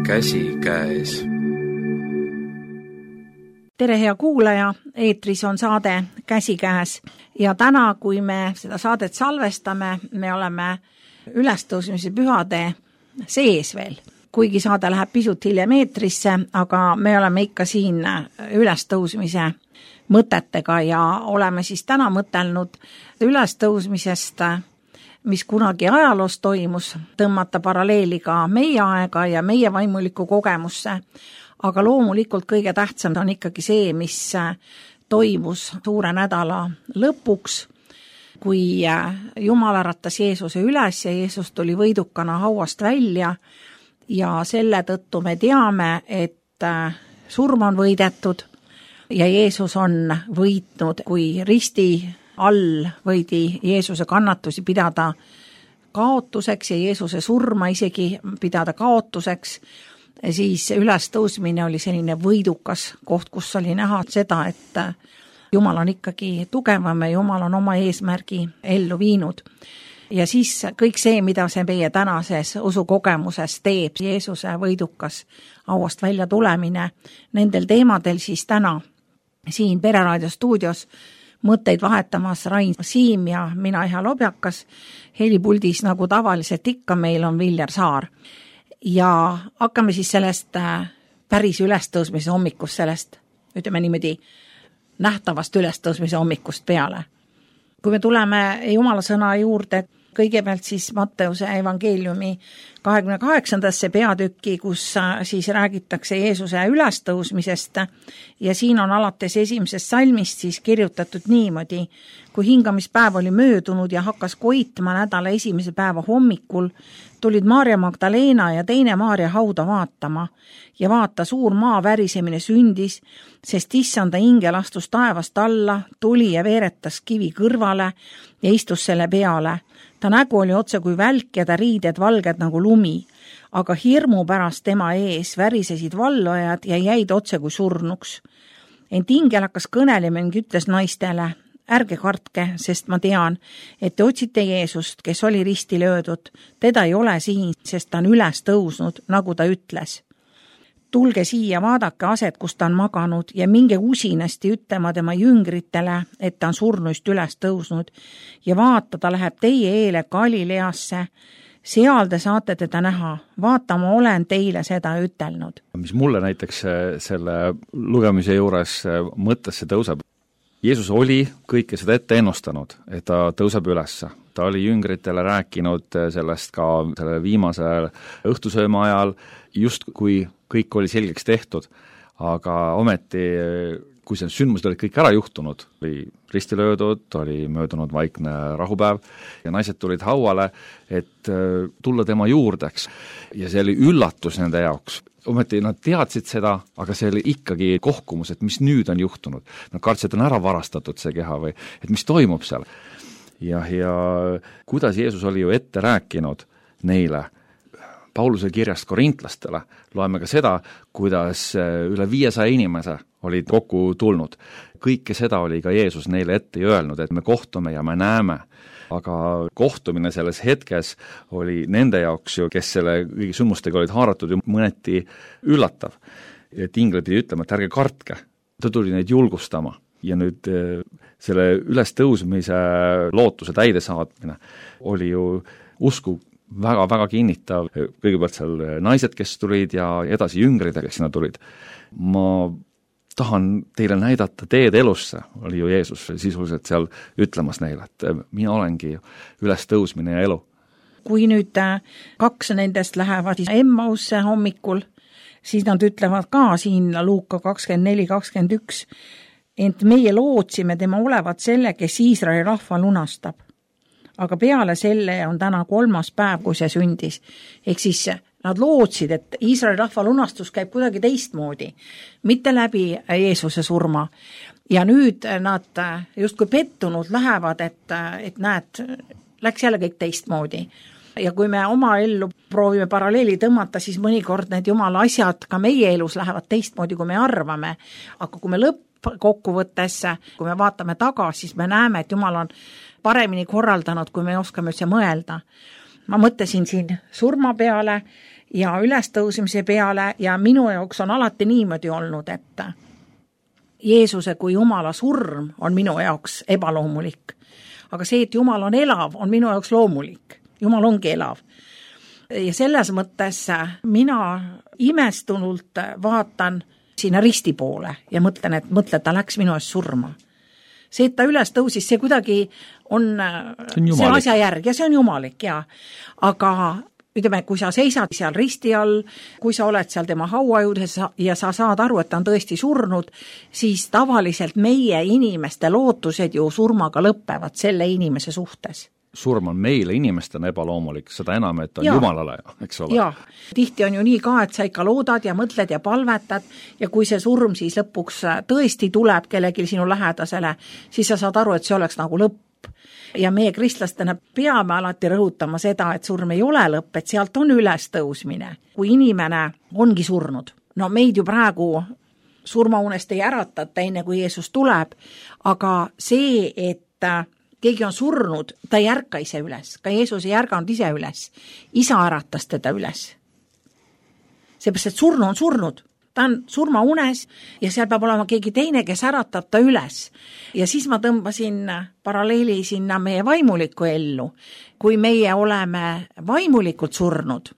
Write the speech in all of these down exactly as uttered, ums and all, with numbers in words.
käsikäes. Tere hea kuulaja, eetris on saade Käsikäes ja täna, kui me seda saadet salvestame, me oleme ülestõusmise pühade sees veel. Kuigi saade läheb pisut hiljem eetrisse, aga me oleme ikka siin ülestõusmise mõtetega ja oleme siis täna mõtelnud ülestõusmisest, mis kunagi ajaloos toimus, tõmmata paralleeli ka meie aega ja meie vaimulikku kogemusse. Aga loomulikult kõige tähtsam on ikkagi see, mis toimus suure nädala lõpuks, kui Jumal äratas Jeesuse üles ja Jeesus tuli võidukana hauast välja ja selle tõttu me teame, et surm on võidetud ja Jeesus on võitnud, kui risti all võidi Jeesuse kannatusi pidada kaotuseks ja Jeesuse surma isegi pidada kaotuseks, siis ülestõusmine oli selline võidukas koht, kus oli näha seda, et Jumal on ikkagi tugevam ja Jumal on oma eesmärgi ellu viinud. Ja siis kõik see, mida see meie tänases usukogemuses teeb, Jeesuse võidukas hauast välja tulemine, nendel teemadel siis täna siin Pereraadio stuudios mõtteid vahetamas Rain Siim ja mina Iha Lobjakas, helipuldis nagu tavaliselt ikka meil on Viljar Saar. Ja hakkame siis sellest päris ülestõusmise hommikust, sellest, ütleme niimoodi, nähtavast ülestõusmise hommikust peale. Kui me tuleme Jumala sõna juurde, kõigepealt siis Matteuse evangeeliumi kahekümne kaheksandasse peatükki, kus siis räägitakse Jeesuse ülestõusmisest ja siin on alates esimesest salmist siis kirjutatud niimoodi, kui hingamispäev oli möödunud ja hakkas koitma nädala esimese päeva hommikul, tulid Maarja Magdalena ja teine Maarja hauda vaatama ja vaata suur maa värisemine sündis, sest issanda ingel astus taevast alla, tuli ja veeretas kivi kõrvale ja istus selle peale. Ta nägu oli otse kui välk ja ta riided valged nagu lumi, aga hirmu pärast tema ees värisesid vallojad ja jäid otse kui surnuks. Ent ingel hakkas kõnelema ning ütles naistele, ärge kartke, sest ma tean, et te otsite Jeesust, kes oli risti löödud. Teda ei ole siin, sest ta on üles tõusnud, nagu ta ütles. Tulge siia, vaadake aset, kus ta on maganud ja minge usinasti ütlema tema jüngritele, et ta on surnuist üles tõusnud ja vaata, ta läheb teie eele Galileasse. Seal te saate teda näha. Vaata, ma olen teile seda ütelnud. Mis mulle näiteks selle lugemise juures mõttesse tõuseb. Jeesus oli kõike seda ette ennustanud, et ta tõuseb ülesse. Ta oli jüngritele rääkinud sellest ka selle viimase õhtusööma ajal, just kui kõik oli selgeks tehtud, aga ometi, kui see sündmused olid kõik ära juhtunud, oli risti löödud, oli möödunud vaikne rahupäev ja naised tulid hauale, et tulla tema juurdeks. Ja see oli üllatus nende jaoks. Ometi nad teadsid seda, aga see oli ikkagi kohkumus, et mis nüüd on juhtunud. Nad kartsid, et on ära varastatud see keha või et mis toimub seal. Ja, ja kuidas Jeesus oli ju ette rääkinud neile Pauluse kirjast korintlastele, loeme ka seda, kuidas üle viiesaja inimese olid kokku tulnud. Kõike seda oli ka Jeesus neile ette öelnud, et me kohtume ja me näeme. Aga kohtumine selles hetkes oli nende jaoks ju, kes selle kõigi sündmustega olid haaratud, ju mõneti üllatav. Et ingel pidi ütlema, et ärge kartke. Ta tuli neid julgustama. Ja nüüd selle ülestõusmise lootuse täide saatmine oli ju usku väga-väga kinnitav. Kõigepealt seal naised, kes tulid ja edasi jüngrid, kes sinna tulid. Ma tahan teile näidata teed elusse, oli ju Jeesus sisuliselt seal ütlemas neile, et mina olengi ülestõusmine ja elu. Kui nüüd kaks nendest lähevad Emmausse hommikul, siis nad ütlevad ka siin Luuka kakskümmend neli kakskümmend üks, ent meie lootsime tema olevat selle, kes Iisraeli rahva lunastab. Aga peale selle on täna kolmas päev, kui see sündis. Ehk siis nad lootsid, et Iisraeli rahva lunastus käib kuidagi teistmoodi, mitte läbi Jeesuse surma. Ja nüüd nad justkui pettunud lähevad, et, et näed, läks jälle kõik teistmoodi. Ja kui me oma ellu proovime paralleeli tõmmata, siis mõnikord need jumala asjad ka meie elus lähevad teistmoodi, kui me arvame. Aga kui me lõppkokkuvõttes, kui me vaatame tagasi, siis me näeme, et jumal on paremini korraldanud, kui me oskame üldse mõelda. Ma mõtlesin siin surma peale ja ülestõusmise peale ja minu jaoks on alati niimoodi olnud, et Jeesuse kui Jumala surm on minu jaoks ebaloomulik. Aga see, et Jumal on elav, on minu jaoks loomulik. Jumal ongi elav. Ja selles mõttes mina imestunult vaatan sinna risti poole ja mõtlen, et mõtle, ta läks minu eest surma. See, et ta üles tõusis, see kuidagi on, see, on see asja järg ja see on jumalik, ja. Aga ütleme, kui sa seisad seal risti all, kui sa oled seal tema hauajuures ja sa saad aru, et ta on tõesti surnud, siis tavaliselt meie inimeste lootused ju surmaga lõppevad selle inimese suhtes. Surm on meile inimestena ebaloomulik, seda enam, et on ja. Jumalale, eks ole. Jaa, tihti on ju nii ka, et sa ikka loodad ja mõtled ja palvetad ja kui see surm siis lõpuks tõesti tuleb kellelgi sinu lähedasele, siis sa saad aru, et see oleks nagu lõpp. Ja meie kristlastena peame alati rõhutama seda, et surm ei ole lõpp, et sealt on ülestõusmine. Kui inimene ongi surnud, no meid ju praegu surmaunest ei äratata enne, kui Jeesus tuleb, aga see, et keegi on surnud, ta ei ärka ise üles, ka Jeesus ei ärganud ise üles, isa äratas teda üles. Seepärast, et surnu on surnud, ta on surmaunes ja seal peab olema keegi teine, kes äratab ta üles. Ja siis ma tõmbasin paralleeli sinna meie vaimulikku ellu, kui meie oleme vaimulikult surnud,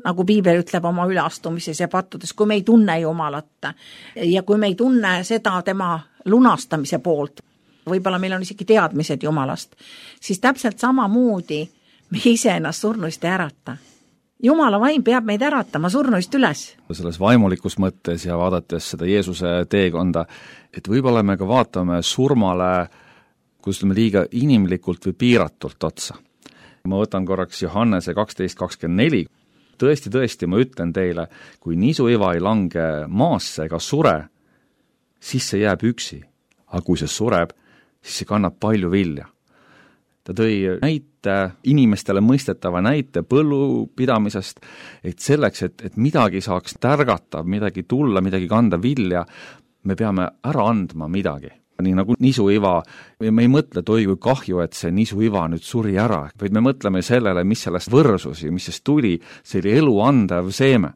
nagu Piibel ütleb oma üleastumises ja pattudes, kui me ei tunne Jumalat ja kui me ei tunne seda tema lunastamise poolt, võib-olla meil on isegi teadmised Jumalast, siis täpselt samamoodi me ise ennast surnuist ei ärata. Jumala vaim peab meid äratama surnuist üles. Selles vaimulikus mõttes ja vaadates seda Jeesuse teekonda, et võib-olla me ka vaatame surmale, kus ütleme liiga inimlikult või piiratult otsa. Ma võtan korraks Johannese kaksteist kakskümmend neli. Tõesti, tõesti, ma ütlen teile, kui nisuiva ei lange maasse ega sure, siis see jääb üksi. Aga kui see sureb, siis see kannab palju vilja. Ta tõi näite, inimestele mõistetava näite põllupidamisest, et selleks, et, et midagi saaks tärgata, midagi tulla, midagi kanda vilja, me peame ära andma midagi. Nii nagu nisuiva, me ei mõtle, et oi kui kahju, et see nisuiva nüüd suri ära, vaid me mõtleme sellele, mis sellest võrsus ja mis sellest tuli, see oli elu andev seeme.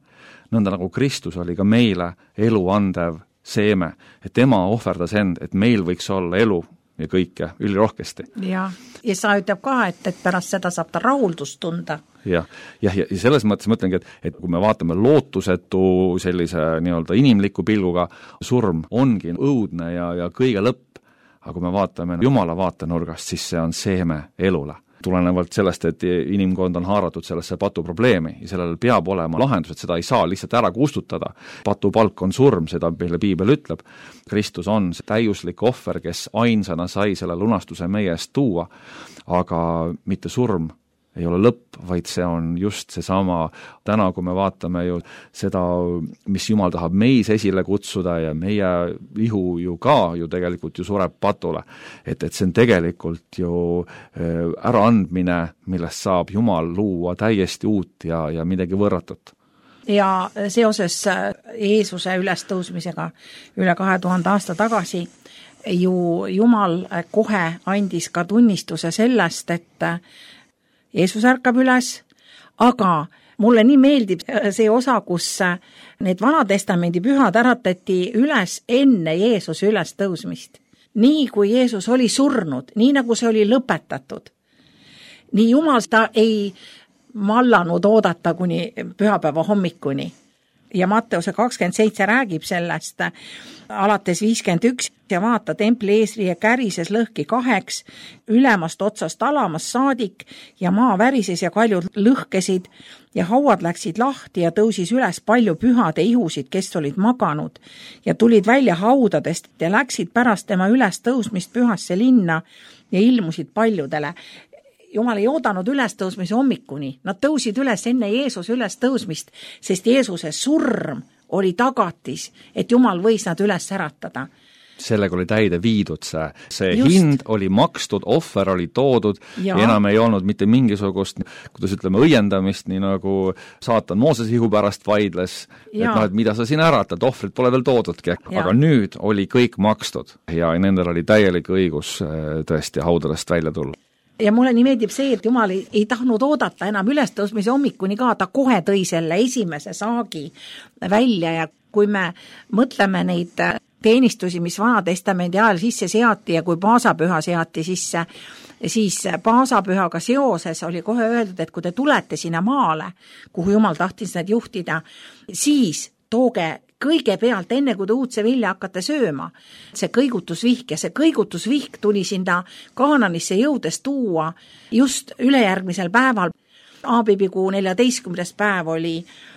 Nõnda nagu Kristus oli ka meile elu andev seeme, et tema ohverdas end, et meil võiks olla elu ja kõike ülirohkesti. Ja, ja sa ütleb ka, et, et pärast seda saab ta rahuldust tunda. Ja, ja, ja selles mõttes mõtlengi, et, et kui me vaatame lootusetu sellise nii-öelda inimliku pilguga, surm ongi õudne ja, ja kõige lõpp, aga kui me vaatame Jumala vaatenurgast, siis see on seeme elule. Tulenevalt sellest, et inimkond on haaratud sellesse patuprobleemi ja sellel peab olema lahendus, et seda ei saa lihtsalt ära kustutada. Patupalk on surm, seda meile Piibel ütleb. Kristus on see täiuslik ohver, kes ainsana sai selle lunastuse meie eest tuua, aga mitte surm ei ole lõpp, vaid see on just seesama, täna kui me vaatame ju seda, mis Jumal tahab meis esile kutsuda ja meie ihu ju ka ju tegelikult ju sureb patule. Et, et see on tegelikult ju äraandmine, millest saab Jumal luua täiesti uut ja, ja midagi võrratut. Ja seoses Jeesuse ülestõusmisega üle kahe tuhande aasta tagasi ju Jumal kohe andis ka tunnistuse sellest, et Jeesus ärkab üles, aga mulle nii meeldib see osa, kus need Vanatestamendi pühad äratati üles enne Jeesuse ülestõusmist. Nii kui Jeesus oli surnud, nii nagu see oli lõpetatud. Nii Jumal ta ei mallanud oodata kuni pühapäeva hommikuni. Ja Matteuse kakskümmend seitse räägib sellest alates viiskümmend üks ja vaata, templi eesriie kärises lõhki kaheks, ülemast otsast alamast saadik ja maa värises ja kaljud lõhkesid ja hauad läksid lahti ja tõusis üles palju pühade ihusid, kes olid maganud ja tulid välja haudadest ja läksid pärast tema üles tõusmist pühasse linna ja ilmusid paljudele. Jumal ei oodanud ülestõusmise hommikuni. Nad tõusid üles enne Jeesuse ülestõusmist, sest Jeesuse surm oli tagatis, et Jumal võis nad üles äratada. Sellega oli täide viidud see. See Just. Hind oli makstud, ohver oli toodud ja. Ja enam ei olnud mitte mingisugust, kuidas ütleme, õiendamist, nii nagu saatan Moosese ihu pärast vaidles, et, no, et mida sa siin äratad, ohvrid pole veel toodudki. Ja. Aga nüüd oli kõik makstud ja nendel oli täielik õigus tõesti haudadest välja tulla. ja mulle nii meeldib see, et Jumal ei, ei tahtnud oodata enam ülestõusmise hommikuni ka, ta kohe tõi selle esimese saagi välja ja kui me mõtleme neid teenistusi, mis Vana-testamendi ajal sisse seati ja kui paasapüha seati sisse, siis paasapühaga seoses oli kohe öeldud, et kui te tulete sinna maale, kuhu Jumal tahtis need juhtida, siis tooge kõigepealt, enne kui te uudse vilja hakkate sööma, see kõigutusvihk ja see kõigutusvihk tuli sinna Kaananisse jõudes tuua just ülejärgmisel päeval. Aabibikuu neljateistkümnes päev oli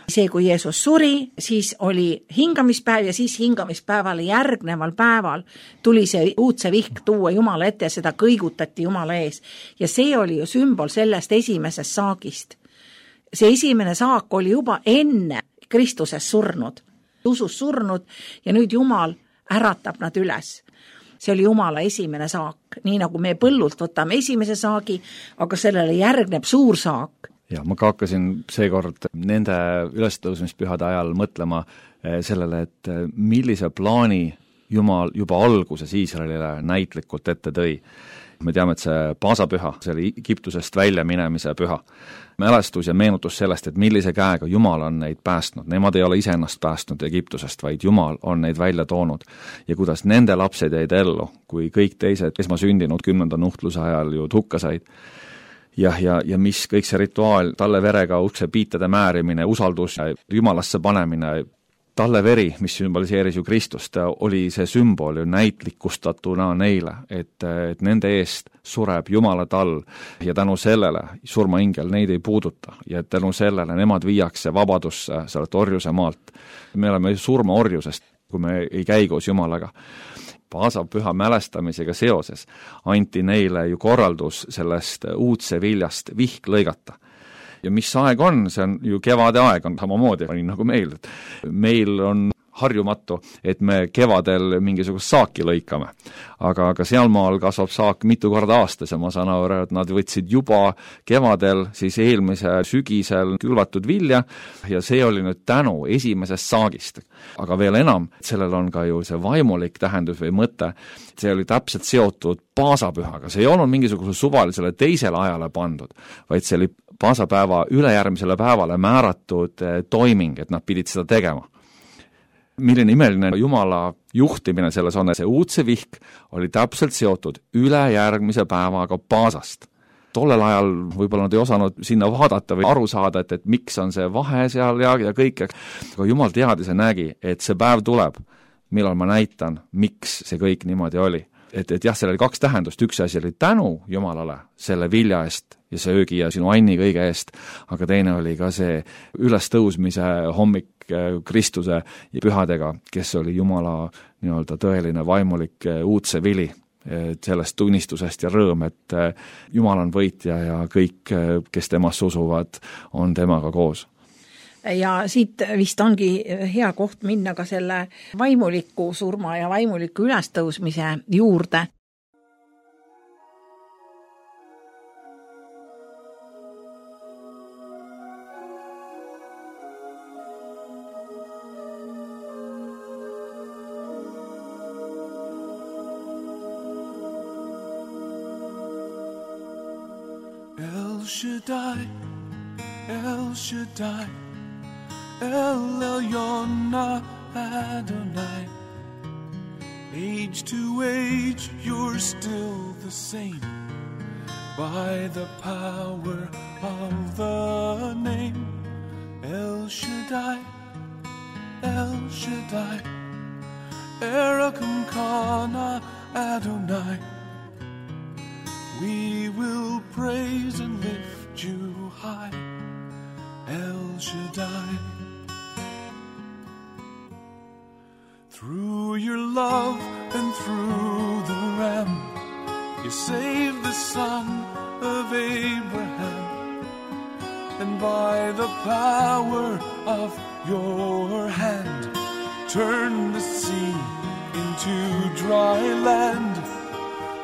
see, kui Jeesus suri, siis oli hingamispäev ja siis hingamispäevale järgneval päeval tuli see uudse vihk tuua Jumala ette ja seda kõigutati Jumala ees. Ja see oli ju sümbol sellest esimesest saagist. See esimene saak oli juba enne Kristuses surnud, usus surnud ja nüüd Jumal äratab nad üles. See oli Jumala esimene saak, nii nagu me põllult võtame esimese saagi, aga sellele järgneb suur saak. Ja ma ka hakkasin seekord nende ülestõusmispühade ajal mõtlema sellele, et millise plaani Jumal juba alguses Iisraelile näitlikult ette tõi. Me teame, et see paasapüha, see oli Egiptusest välja minemise püha. Mälestus ja meenutus sellest, et millise käega Jumal on neid päästnud. Nemad ei ole iseennast päästnud Egiptusest, vaid Jumal on neid välja toonud. Ja kuidas nende lapsed jäid ellu, kui kõik teised esmasündinud kümnenda nuhtluse ajal ju hukka said. Ja, ja, ja mis kõik see rituaal, talle verega ukse piitade määrimine, usaldus ja Jumalasse panemine, talle veri, mis sümboliseeris ju Kristust, oli see sümbol ju näitlikustatuna neile, et, et nende eest sureb Jumala tall ja tänu sellele surmaingel neid ei puuduta ja tänu sellele nemad viiakse vabadusse sellelt orjuse maalt. Me oleme surma orjusest, kui me ei käi koos Jumalaga. Paasapüha mälestamisega seoses anti neile ju korraldus sellest uudse viljast vihk lõigata. Ja mis aeg on, see on ju kevade aeg, on samamoodi nii nagu meil. Meil on harjumatu, et me kevadel mingisugust saaki lõikame. Aga, aga sealmaal kasvab saak mitu korda aastas ja ma saan aru, et nad võtsid juba kevadel, siis eelmise sügisel külvatud vilja ja see oli nüüd tänu esimesest saagist. Aga veel enam, sellel on ka ju see vaimulik tähendus või mõte, see oli täpselt seotud paasapühaga, see ei olnud mingisuguse suvalisele teisele ajale pandud, vaid see oli paasapäeva ülejärgmisele päevale määratud toiming, et nad pidid seda tegema. Milline imeline Jumala juhtimine selles on, see uudse vihk oli täpselt seotud ülejärgmise päevaga paasast. Tollel ajal võib-olla nad ei osanud sinna vaadata või aru saada, et, et miks on see vahe seal ja, ja kõik. Aga Jumal teadis ja nägi, et see päev tuleb, millal ma näitan, miks see kõik niimoodi oli. Et, et jah, seal oli kaks tähendust, üks asi oli tänu Jumalale selle vilja eest ja söögi ja sinu anni kõige eest, aga teine oli ka see ülestõusmise hommik Kristuse ja pühadega, kes oli Jumala nii-öelda tõeline vaimulik uudse vili sellest tunnistusest ja rõõm, et Jumal on võitja ja kõik, kes temasse usuvad, on temaga koos. Ja siit vist ongi hea koht minna ka selle vaimuliku surma ja vaimuliku ülestõusmise juurde. El Shaddai, El Shaddai, El Elyon Adonai. Age to age, you're still the same. By the power of the name, El Shaddai, El Shaddai, Erakum Kana Adonai. We will praise and lift you high, El Shaddai. Through your love and through the Ram, you saved the son of Abraham. And by the power of your hand, turned the sea into dry land.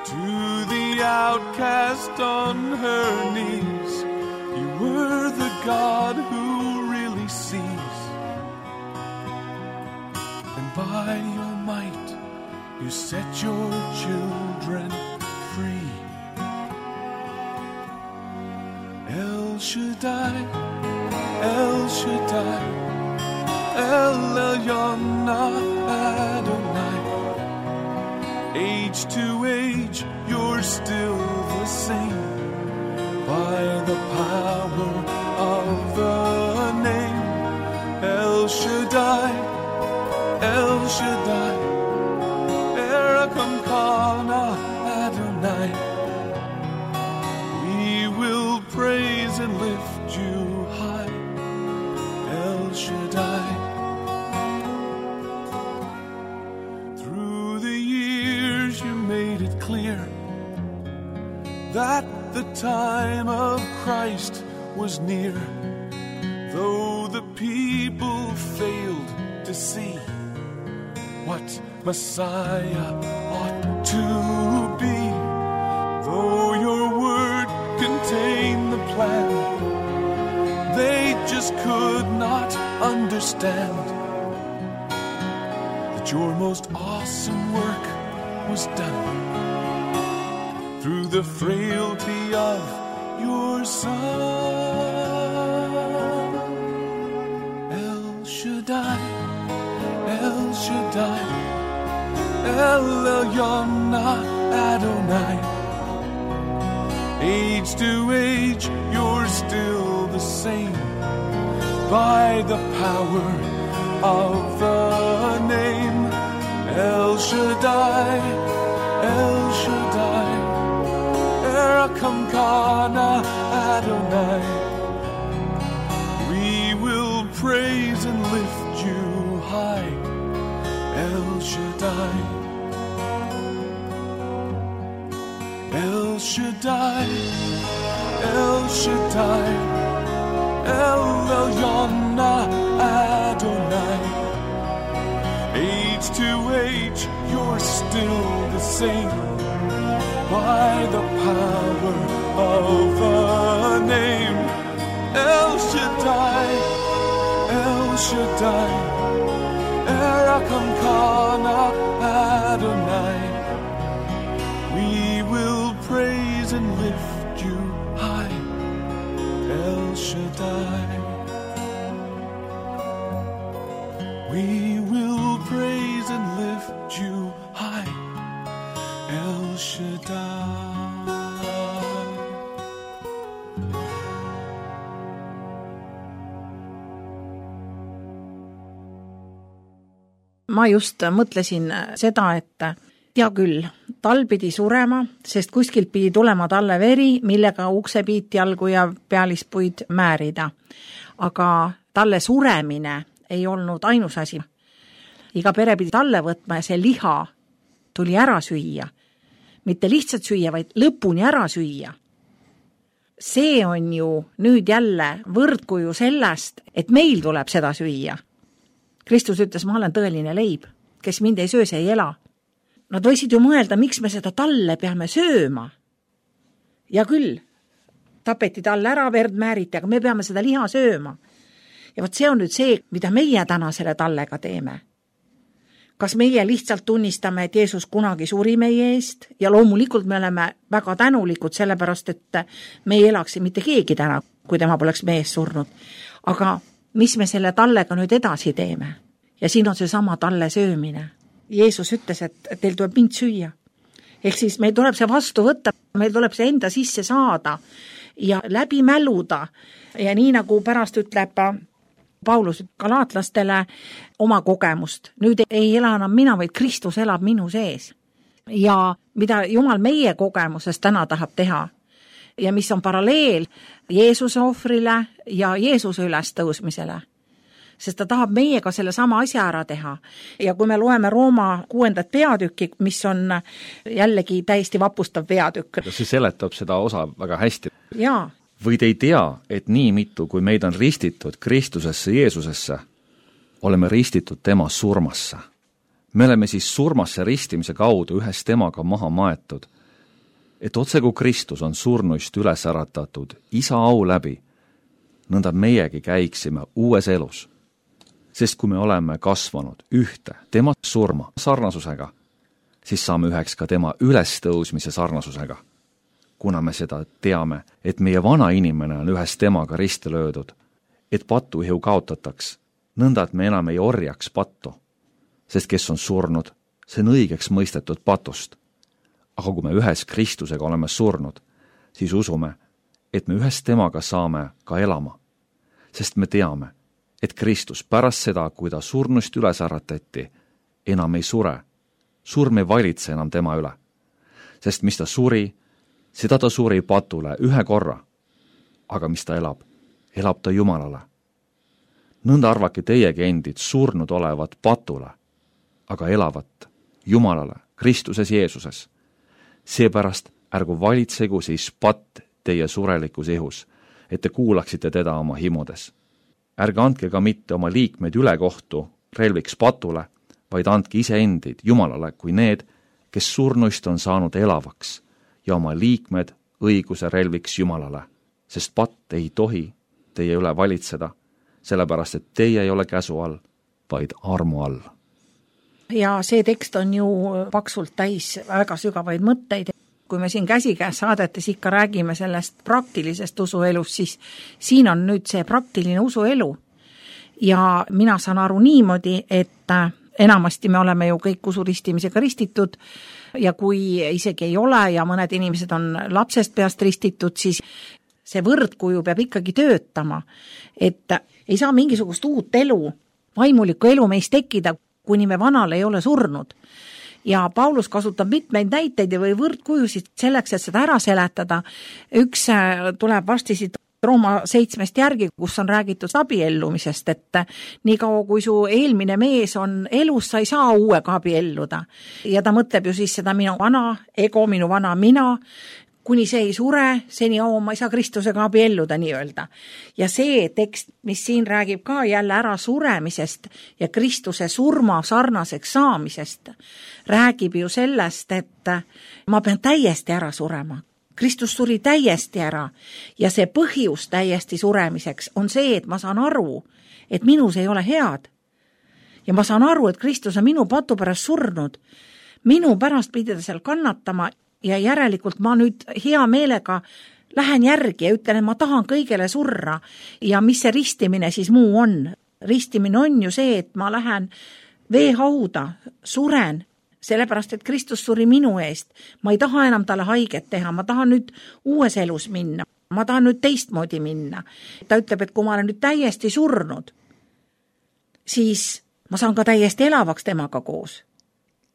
To the outcast on her knees, you were the God who really sees. And by your might, you set your children free. El Shaddai, El Shaddai, El Elyon Adonai. Age to age, you're still the same. By the power of the name, El Shaddai, El Shaddai, Erechim Kana Adonai. We will praise and lift you high, El Shaddai. Through the years you made it clear that the time of Christ was near, though the people failed to see what Messiah ought to be. Though your word contained the plan, they just could not understand that your most awesome work was done through the frailty of your Son. El Shaddai, El Shaddai, El Elyon Adonai. Age to age, you're still the same. By the power of the name, El Shaddai, El Shaddai, Erechim Kana Adonai. We will praise and lift you high, El Shaddai. El Shaddai, El Shaddai, El Elyon Adonai. Age to age, you're still the same. By the power of the name, El Shaddai, El Shaddai, Erechim Kana Adonai. We will praise and lift you high, El Shaddai. We will praise and lift you high, El Shaddai. Ma just mõtlesin seda, et hea küll, tal pidi surema, sest kuskilt pidi tulema talle veri, millega uksepiit jalgu ja pealispuid määrida. Aga talle suremine ei olnud ainus asi. Iga pere pidi talle võtma ja see liha tuli ära süüa. Mitte lihtsalt süüa, vaid lõpuni ära süüa. See on ju nüüd jälle võrdkuju sellest, et meil tuleb seda süüa. Kristus ütles, ma olen tõeline leib, kes mind ei söö, see ei ela. Nad võisid ju mõelda, miks me seda talle peame sööma. Ja küll, tapeti talle ära, verd määriti, aga me peame seda liha sööma. Ja võt see on nüüd see, mida meie täna selle tallega teeme. Kas meie lihtsalt tunnistame, et Jeesus kunagi suri meie eest ja loomulikult me oleme väga tänulikud sellepärast, et me ei elaks mitte keegi täna, kui tema poleks meie eest surnud. Aga mis me selle tallega nüüd edasi teeme? Ja siin on see sama talle söömine. Jeesus ütles, et teil tuleb mind süüa. Ehk siis meil tuleb see vastu võtta, meil tuleb see enda sisse saada ja läbi mäluda. Ja nii nagu pärast ütleb Paulus galaatlastele oma kogemust. Nüüd ei ela enam mina, vaid Kristus elab minu sees. Ja mida Jumal meie kogemuses täna tahab teha ja mis on paralleel Jeesuse ohvrile ja Jeesuse ülestõusmisele. Sest ta tahab meiega selle sama asja ära teha. Ja kui me loeme Rooma kuuendat peatükki, mis on jällegi täiesti vapustav peatükk. See seletab seda osa väga hästi. Jaa. Võid ei tea, et nii mitu, kui meid on ristitud Kristusesse Jeesusesse, oleme ristitud tema surmasse. Me oleme siis surmasse ristimise kaudu ühes temaga maha maetud, et otse kui Kristus on surnuist üles äratatud isa au läbi, nõnda meiegi käiksime uues elus. Sest kui me oleme kasvanud ühte tema surma sarnasusega, siis saame üheks ka tema ülestõusmise sarnasusega. kuna me seda teame, et meie vana inimene on ühes temaga risti löödud, et patuihu kaotataks, nõnda, et me enam ei orjaks pattu, sest kes on surnud, see on õigeks mõistetud patust. Aga kui me ühes Kristusega oleme surnud, siis usume, et me ühes temaga saame ka elama, sest me teame, et Kristus pärast seda, kui ta surnust üles äratati, enam ei sure. Surm ei valitse enam tema üle, sest mis ta suri, seda ta suri patule ühe korra, aga mis ta elab, elab ta Jumalale. Nõnda arvake teiegi endid surnud olevat patule, aga elavat Jumalale Kristuses Jeesuses. Seepärast ärgu valitsegu siis patt teie surelikus ihus, et te kuulaksite teda oma himudes. Ärge andke ka mitte oma liikmeid ülekohtu relviks patule, vaid andke iseendid Jumalale kui need, kes surnuist on saanud elavaks ja oma liikmed õiguse relviks Jumalale, sest patt ei tohi teie üle valitseda, sellepärast et teie ei ole käsu all, vaid armu all. Ja see tekst on ju paksult täis väga sügavaid mõtteid. Kui me siin käsikäes saadetes ikka räägime sellest praktilisest usuelust, siis siin on nüüd see praktiline usuelu. Ja mina saan aru niimoodi, et enamasti me oleme ju kõik usuristimisega ristitud ja kui isegi ei ole ja mõned inimesed on lapsest peast ristitud, siis see võrdkuju peab ikkagi töötama, et ei saa mingisugust uut elu, vaimulikku elu meis tekkida, kuni me vanale ei ole surnud. Ja Paulus kasutab mitmeid näiteid või võrdkujusid selleks, et seda ära seletada. Üks tuleb vasti siit Rooma seitsmest järgi, kus on räägitud abiellumisest, et nii kaua kui su eelmine mees on elus, sa ei saa uuega abielluda. Ja ta mõtleb ju siis seda minu vana ego, minu vana mina, kuni see ei sure, seni au ma ei saa Kristusega abielluda nii-öelda. Ja see tekst, mis siin räägib ka jälle ära suremisest ja Kristuse surma sarnaseks saamisest, räägib ju sellest, et ma pean täiesti ära surema. Kristus suri täiesti ära ja see põhjus täiesti suremiseks on see, et ma saan aru, et minus ei ole head. Ja ma saan aru, et Kristus on minu patu pärast surnud. Minu pärast pidada seal kannatama ja järelikult ma nüüd hea meelega lähen järgi ja ütlen, et ma tahan kõigele surra. Ja mis see ristimine siis muu on? Ristimine on ju see, et ma lähen veehauda, suren, sellepärast, et Kristus suri minu eest. Ma ei taha enam talle haiget teha, ma tahan nüüd uues elus minna. Ma tahan nüüd teistmoodi minna. Ta ütleb, et kui ma olen nüüd täiesti surnud, siis ma saan ka täiesti elavaks temaga koos.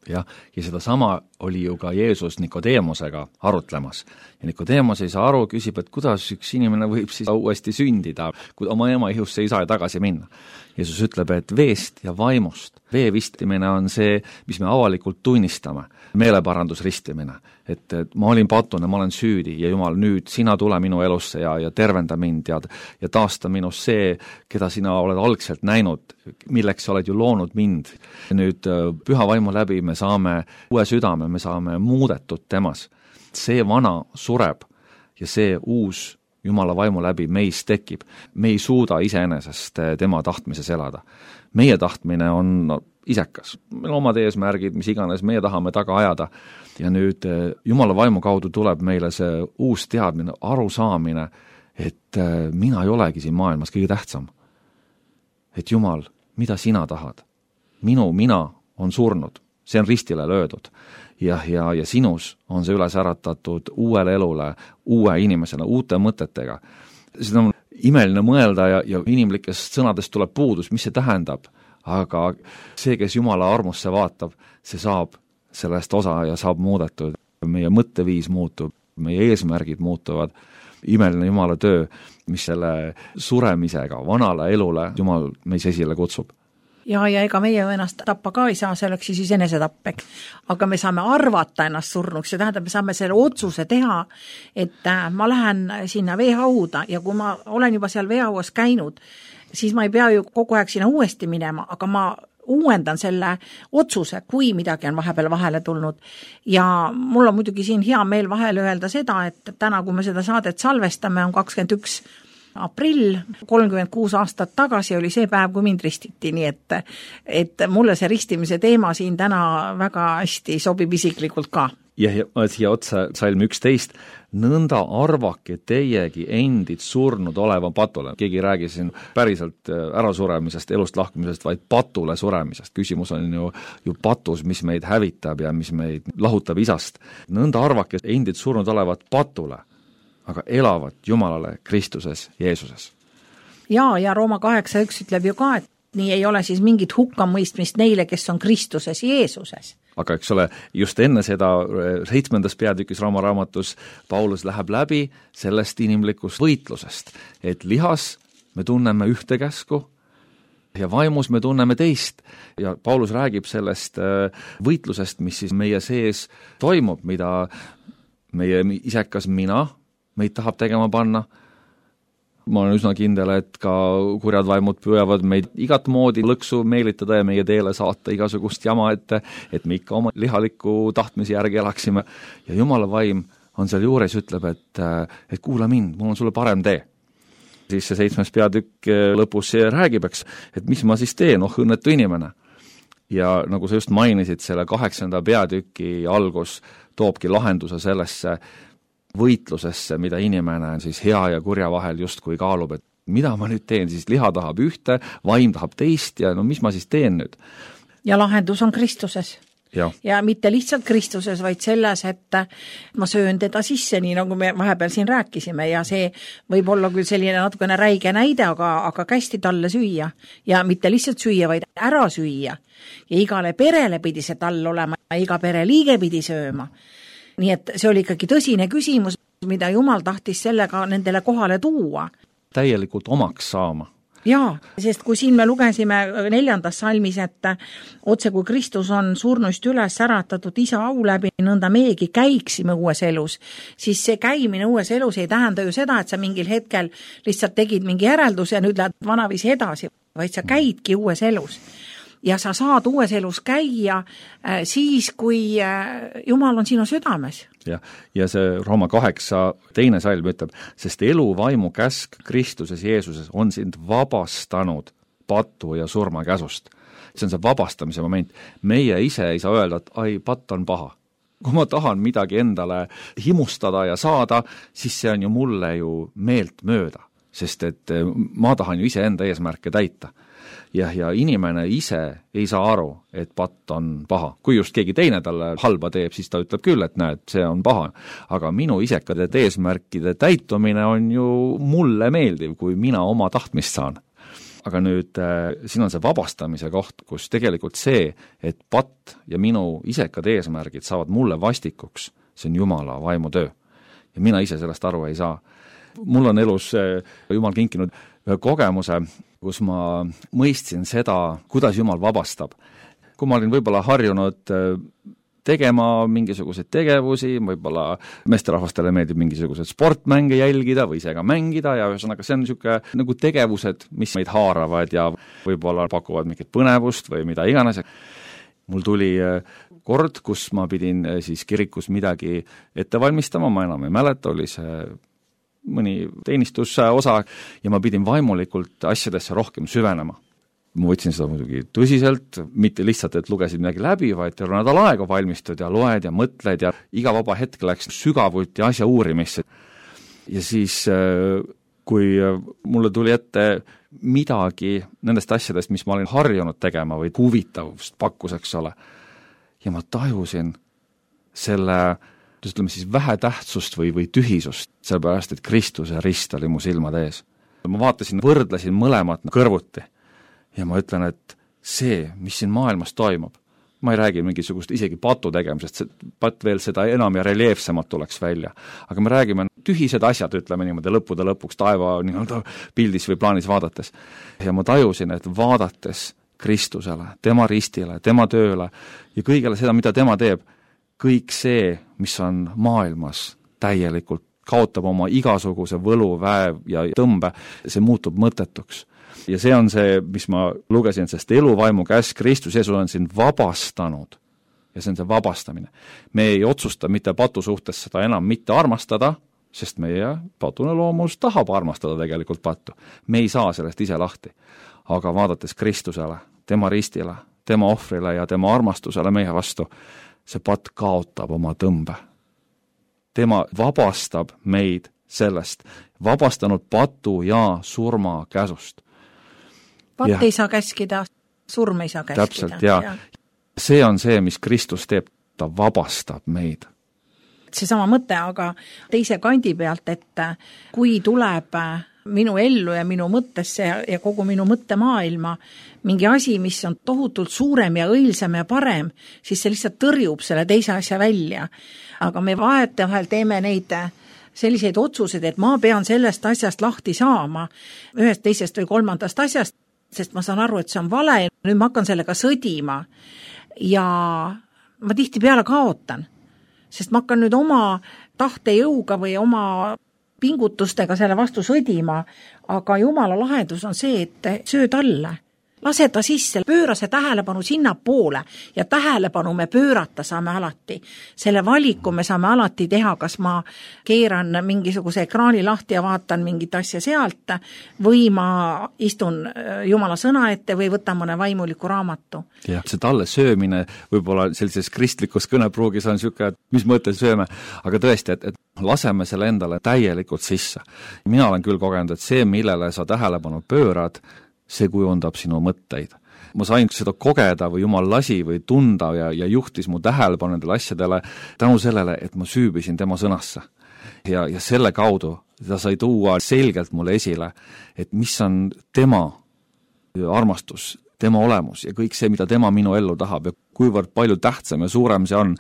Ja, ja seda sama oli ju ka Jeesus Nikodeemusega arutlemas. Ja Nikodeemus ei saa aru, küsib, et kuidas üks inimene võib siis uuesti sündida, kui oma ema ihusse ei saa tagasi minna. Jeesus ütleb, et veest ja vaimust. Vee vistimine on see, mis me avalikult tunnistame, meeleparandusristimine. Et, et ma olin patune, ma olen süüdi ja Jumal, nüüd sina tule minu elusse ja, ja tervenda mind ja, ja taasta minus see, keda sina oled algselt näinud, milleks sa oled ju loonud mind. Nüüd püha vaimu läbi me saame uue südame, me saame muudetud temas. See vana sureb ja see uus Jumala vaimu läbi meis tekib. Me ei suuda iseenesest tema tahtmises elada. Meie tahtmine on no, isekas. Meil on omad eesmärgid, mis iganes meie tahame taga ajada. Ja nüüd Jumala vaimu kaudu tuleb meile see uus teadmine, arusaamine, et mina ei olegi siin maailmas kõige tähtsam. Et Jumal, mida sina tahad? Minu mina on surnud. See on ristile löödud. Ja, ja, ja sinus on see üles äratatud uuele elule, uue inimesena, uute mõtetega. Seda on imeline mõelda ja, ja inimlikest sõnadest tuleb puudus, mis see tähendab. Aga see, kes Jumala armusse vaatab, see saab sellest osa ja saab muudetud. Meie mõtteviis muutub, meie eesmärgid muutuvad. Imeline Jumala töö, mis selle suremisega, vanale elule Jumal meis esile kutsub. Ja, ja ega meie ennast tappa ka ei saa, see oleks siis enesetappek. Aga me saame arvata ennast surnuks, see tähendab, me saame selle otsuse teha, et ma lähen sinna veehauda ja kui ma olen juba seal veehauas käinud, siis ma ei pea ju kogu aeg sinna uuesti minema, aga ma uuendan selle otsuse, kui midagi on vahepeal vahele tulnud. Ja mul on muidugi siin hea meel vahele öelda seda, et täna, kui me seda saadet salvestame, on kakskümmend üks aprill, kolmkümmend kuus aastat tagasi oli see päev, kui mind ristiti, nii et, et mulle see ristimise teema siin täna väga hästi sobib isiklikult ka. ja siia otsa salm üksteist, nõnda arvake teiegi endid surnud oleva patule. Keegi ei räägi siin päriselt ärasuremisest, elust lahkumisest, vaid patule suremisest. Küsimus on ju, ju patus, mis meid hävitab ja mis meid lahutab isast. Nõnda arvake endid surnud olevat patule, aga elavat Jumalale Kristuses Jeesuses. Ja, ja Rooma kaheksa üks ütleb ju ka, et nii ei ole siis mingit hukkamõistmist neile, kes on Kristuses Jeesuses. Aga eks ole, just enne seda seitsmendas peatükis Rooma raamatus Paulus läheb läbi sellest inimlikust võitlusest, et lihas me tunneme ühte käsku ja vaimus me tunneme teist. Ja Paulus räägib sellest võitlusest, mis siis meie sees toimub, mida meie isekas mina meid tahab tegema panna. Ma olen üsna kindel, et ka kurjad vaimud püüavad meid igat moodi lõksu meelitada ja meie teele saata igasugust jama ette, et me ikka oma lihaliku tahtmise järgi elaksime. Ja Jumala vaim on seal juures, ütleb, et, et kuula mind, mul on sulle parem tee. Siis see seitsmes peatükk lõpus räägib, eks, et mis ma siis teen, oh õnnetu inimene. Ja nagu sa just mainisid, selle kaheksanda peatüki algus toobki lahenduse sellesse võitlusesse, mida inimene siis hea ja kurja vahel justkui kaalub, et mida ma nüüd teen, siis liha tahab ühte, vaim tahab teist ja no mis ma siis teen nüüd? Ja lahendus on Kristuses. Ja. ja mitte lihtsalt Kristuses, vaid selles, et ma söön teda sisse, nii nagu me vahepeal siin rääkisime ja see võib olla küll selline natukene räige näide, aga, aga kästi talle süüa ja mitte lihtsalt süüa, vaid ära süüa ja igale perele pidi see tall olema ja iga pere liige pidi sööma. Nii et see oli ikkagi tõsine küsimus, mida Jumal tahtis sellega nendele kohale tuua. Täielikult omaks saama. Jaa, sest kui siin me lugesime neljandas salmis, et otse kui Kristus on surnuist üles äratatud isa au läbi, nõnda meegi käiksime uues elus, siis see käimine uues elus ei tähenda ju seda, et sa mingil hetkel lihtsalt tegid mingi järeldus ja nüüd lähed vanaviisi edasi, vaid sa käidki uues elus. Ja sa saad uues elus käia äh, siis, kui äh, Jumal on sinu südames. Ja, ja see Rooma kaheksa teine salm ütleb, sest elu vaimu käsk Kristuses Jeesuses on sind vabastanud patu ja surma käsust. See on see vabastamise moment. Meie ise ei saa öelda, et ai, patt on paha. Kui ma tahan midagi endale himustada ja saada, siis see on ju mulle ju meelt mööda, sest et ma tahan ju ise enda eesmärke täita. Ja, ja inimene ise ei saa aru, et patt on paha. Kui just keegi teine talle halba teeb, siis ta ütleb küll, et näed, see on paha. Aga minu isekade eesmärkide täitumine on ju mulle meeldiv, kui mina oma tahtmist saan. Aga nüüd äh, siin on see vabastamise koht, kus tegelikult see, et patt ja minu isekad eesmärgid saavad mulle vastikuks, see on Jumala vaimu töö. Ja mina ise sellest aru ei saa. Mul on elus äh, Jumal kinkinud ühe kogemuse, kus ma mõistsin seda, kuidas Jumal vabastab. Kui ma olin võib-olla harjunud tegema mingisuguseid tegevusi, võib-olla meesterahvastele meeldib mingisuguseid sportmänge jälgida või ise ka mängida ja ühesõnaga see on niisugune nagu tegevused, mis meid haaravad ja võib-olla pakuvad mingit põnevust või mida iganes. Mul tuli kord, kus ma pidin siis kirikus midagi ette valmistama, ma enam ei mäleta, oli see mõni teenistusosa ja ma pidin vaimulikult asjadesse rohkem süvenema. Ma võtsin seda muidugi tõsiselt, mitte lihtsalt, et lugesid midagi läbi, vaid terve nädal aega valmistud ja loed ja mõtled ja iga vaba hetk läks sügavuti asja uurimisse. Ja siis, kui mulle tuli ette midagi nendest asjadest, mis ma olin harjunud tegema või huvitavust pakkus, eks ole, ja ma tajusin selle ütleme siis vähetähtsust või, või tühisust, sellepärast, et Kristuse rist oli mu silmade ees. Ma vaatasin, võrdlesin mõlemat kõrvuti ja ma ütlen, et see, mis siin maailmas toimub, ma ei räägi mingisugust isegi patu tegemisest, pat veel seda enam ja reljeefsemalt tuleks välja, aga me räägime tühised asjad, ütleme niimoodi lõppude lõpuks taeva nii-öelda pildis või plaanis vaadates. Ja ma tajusin, et vaadates Kristusele, tema ristile, tema tööle ja kõigele seda, mida tema teeb, kõik see, mis on maailmas täielikult, kaotab oma igasuguse võlu, väev ja tõmbe, see muutub mõttetuks. Ja see on see, mis ma lugesin, sest eluvaimu käsk Kristus Jeesus on sind vabastanud. Ja see on see vabastamine. Me ei otsusta mitte patu suhtes seda enam mitte armastada, sest meie patune loomus tahab armastada tegelikult pattu. Me ei saa sellest ise lahti. Aga vaadates Kristusele, tema ristile, tema ohvrile ja tema armastusele meie vastu, see patt kaotab oma tõmbe. Tema vabastab meid sellest, vabastanud patu ja surma käsust. Patt ja, ei saa käskida, surm ei saa käskida. Täpselt, ja, ja see on see, mis Kristus teeb, ta vabastab meid. Seesama mõte, aga teise kandi pealt, et kui tuleb minu ellu ja minu mõttesse ja kogu minu mõttemaailma mingi asi, mis on tohutult suurem ja õilsam ja parem, siis see lihtsalt tõrjub selle teise asja välja. Aga me vahetevahel teeme neid selliseid otsuseid, et ma pean sellest asjast lahti saama, ühest, teisest või kolmandast asjast, sest ma saan aru, et see on vale, nüüd ma hakkan sellega sõdima ja ma tihtipeale kaotan, sest ma hakkan nüüd oma tahtejõuga või oma pingutustega selle vastu sõdima, aga Jumala lahendus on see, et söö talle. Lase ta sisse, pööra see tähelepanu sinna poole ja tähelepanu me pöörata saame alati. Selle valiku me saame alati teha, kas ma keeran mingisuguse ekraani lahti ja vaatan mingit asja sealt või ma istun Jumala sõna ette või võtan mõne vaimuliku raamatu. Jah, see talle söömine võib-olla sellises kristlikus kõnepruugis on niisugune, et mis mõttes sööme, aga tõesti, et, et laseme selle endale täielikult sisse. Mina olen küll kogenud, et see, millele sa tähelepanu pöörad, see kujundab sinu mõtteid. Ma sain seda kogeda või Jumal lasi või tunda ja, ja juhtis mu tähelepanu nendele asjadele tänu sellele, et ma süübisin tema sõnasse. Ja, ja selle kaudu ta sai tuua selgelt mulle esile, et mis on tema armastus, tema olemus ja kõik see, mida tema minu ellu tahab ja kuivõrd palju tähtsam ja suurem see on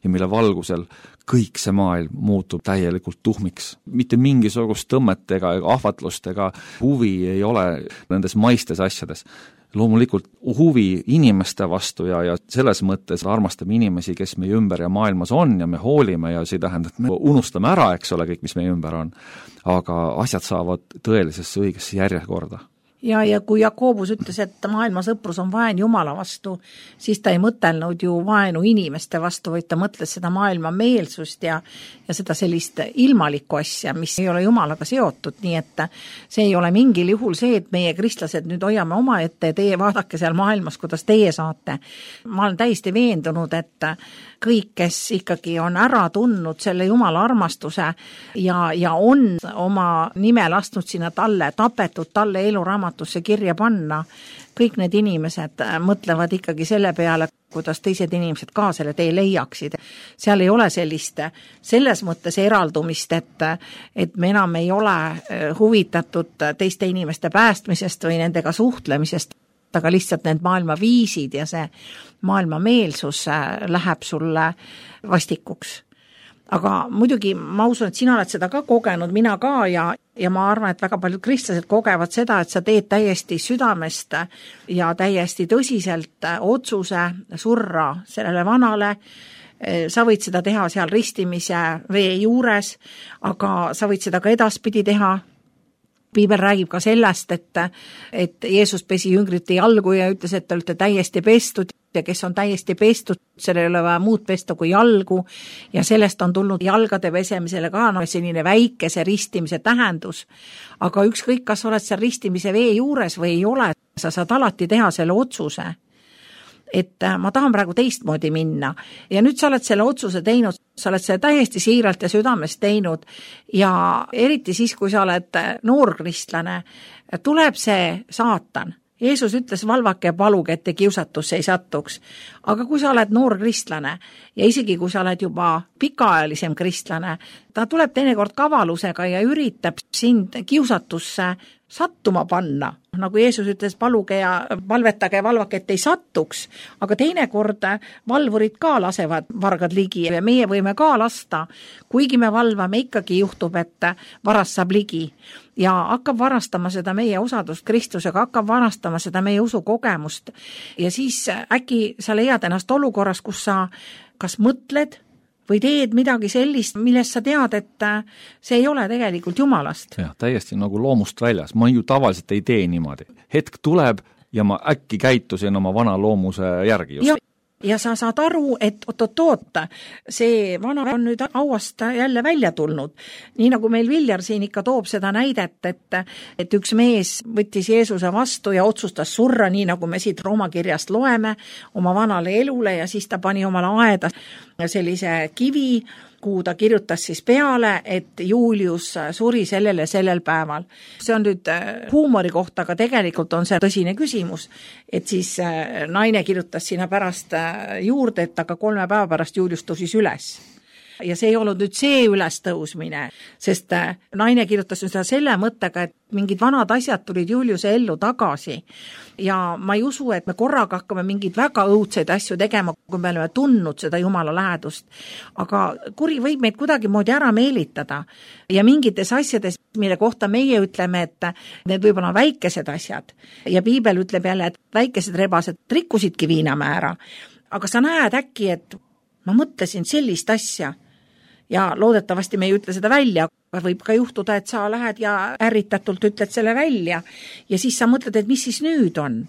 ja mille valgusel kõik see maailm muutub täielikult tuhmiks. Mitte mingisugust tõmmet ega ahvatlust ega huvi ei ole nendes maistes asjades. Loomulikult huvi inimeste vastu ja, ja selles mõttes armastame inimesi, kes meie ümber ja maailmas on ja me hoolime ja see tähendab, et me unustame ära, eks ole, kõik, mis meie ümber on. Aga asjad saavad tõelisesse õigesse järjekorda. Ja, ja kui Jakobus ütles, et maailma sõprus on vaen Jumala vastu, siis ta ei mõtelnud ju vaenu inimeste vastu, vaid ta mõtles seda maailma meelsust ja, ja seda sellist ilmalikku asja, mis ei ole Jumalaga seotud, nii et see ei ole mingil juhul see, et meie kristlased nüüd hoiame oma ette ja teie vaadake seal maailmas, kuidas teie saate. Ma olen täiesti veendunud, et kõik, kes ikkagi on ära tundnud selle Jumala armastuse ja, ja on oma nime lastnud sinna talle, tapetud talle eluraamatusse kirja panna, kõik need inimesed mõtlevad ikkagi selle peale, kuidas teised inimesed ka selle tee leiaksid. Seal ei ole sellist, selles mõttes eraldumist, et, et me enam ei ole huvitatud teiste inimeste päästmisest või nendega suhtlemisest, aga lihtsalt need maailma viisid ja see maailma meelsus läheb sulle vastikuks. Aga muidugi ma usun, et sina oled seda ka kogenud, mina ka ja, ja ma arvan, et väga paljud kristlased kogevad seda, et sa teed täiesti südamest ja täiesti tõsiselt otsuse surra sellele vanale. Sa võid seda teha seal ristimise vee juures, aga sa võid seda ka edaspidi teha. Piibel räägib ka sellest, et, et Jeesus pesi jüngrite jalgu ja ütles, et te olete täiesti pestud ja kes on täiesti pestud, selle ei ole vaja muud pesta kui jalgu ja sellest on tulnud jalgade pesemisele ka no, selline väikese ristimise tähendus. Aga ükskõik, kas oled seal ristimise vee juures või ei ole, sa saad alati teha selle otsuse, et ma tahan praegu teistmoodi minna ja nüüd sa oled selle otsuse teinud, sa oled selle täiesti siiralt ja südamest teinud ja eriti siis, kui sa oled noorkristlane, tuleb see saatan. Jeesus ütles, valvake ja paluge, et te kiusatusse ei satuks. Aga kui sa oled noor kristlane ja isegi kui sa oled juba pikaajalisem kristlane, ta tuleb teinekord kavalusega ja üritab sind kiusatusse sattuma panna. Nagu Jeesus ütles, paluge ja palvetage ja valvake, et ei satuks, aga teinekord valvurid ka lasevad vargad ligi ja meie võime ka lasta. Kuigi me valvame, ikkagi juhtub, et varas saab ligi ja hakkab varastama seda meie osadust Kristusega, hakkab varastama seda meie usukogemust ja siis äkki sa leiad ennast olukorras, kus sa kas mõtled või teed midagi sellist, millest sa tead, et see ei ole tegelikult Jumalast. Jah, täiesti nagu loomust väljas. Ma ju tavaliselt ei tee niimoodi. Hetk tuleb ja ma äkki käitusin oma vana loomuse järgi just. Ja, ja sa saad aru, et oot-oot-oot, see vana on nüüd auast jälle välja tulnud. Nii nagu meil Viljar siin ikka toob seda näidet, et, et üks mees võttis Jeesuse vastu ja otsustas surra, nii nagu me siit Rooma kirjast loeme, oma vanale elule ja siis ta pani omale aeda sellise kivi, kuhu ta kirjutas siis peale, et Julius suri sellel ja sellel päeval. See on nüüd huumori kohta, aga tegelikult on see tõsine küsimus, et siis naine kirjutas sinna pärast juurde, et aga kolme päeva pärast Julius tõusis üles. Ja see ei olnud nüüd see ülestõusmine, sest naine kirjutas seda selle mõttega, et mingid vanad asjad tulid Juliuse ellu tagasi ja ma ei usu, et me korraga hakkame mingid väga õudseid asju tegema, kui me oleme tundnud seda Jumala lähedust. Aga kuri võib meid kuidagi moodi ära meelitada ja mingites asjades, mille kohta meie ütleme, et need võib-olla väikesed asjad ja piibel ütleb jälle, et väikesed rebased rikkusidki viinamäära, aga sa näed äkki, et ma mõtlesin sellist asja ja loodetavasti me ei ütle seda välja, võib ka juhtuda, et sa lähed ja ärritatult ütled selle välja ja siis sa mõtled, et mis siis nüüd on.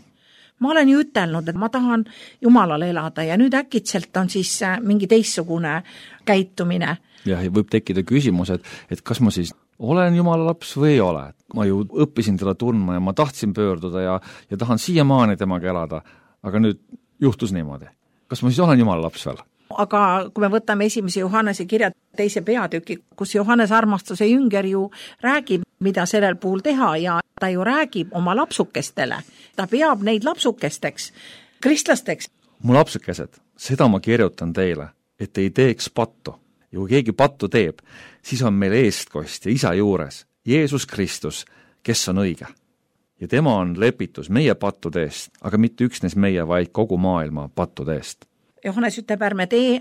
Ma olen ju ütelnud, et ma tahan Jumalale elada ja nüüd äkitselt on siis mingi teissugune käitumine. Jah, ja võib tekkida küsimus, et, et kas ma siis olen Jumala laps või ei ole. Ma ju õppisin teda tundma ja ma tahtsin pöörduda ja, ja tahan siiamaani temaga elada, aga nüüd juhtus niimoodi. Kas ma siis olen Jumala laps veel? Aga kui me võtame esimese Johannese kirja teise peatüki, kus Johannes armastuse jünger ju räägib, mida sellel puhul teha ja ta ju räägib oma lapsukestele. Ta peab neid lapsukesteks, kristlasteks. Mu lapsukesed, seda ma kirjutan teile, et ei teeks pattu. Ja kui keegi pattu teeb, siis on meil eestkost ja isa juures, Jeesus Kristus, kes on õige. Ja tema on lepitus meie pattude eest, aga mitte üksnes meie, vaid kogu maailma pattude eest. Johannes ütleb, ärme tee,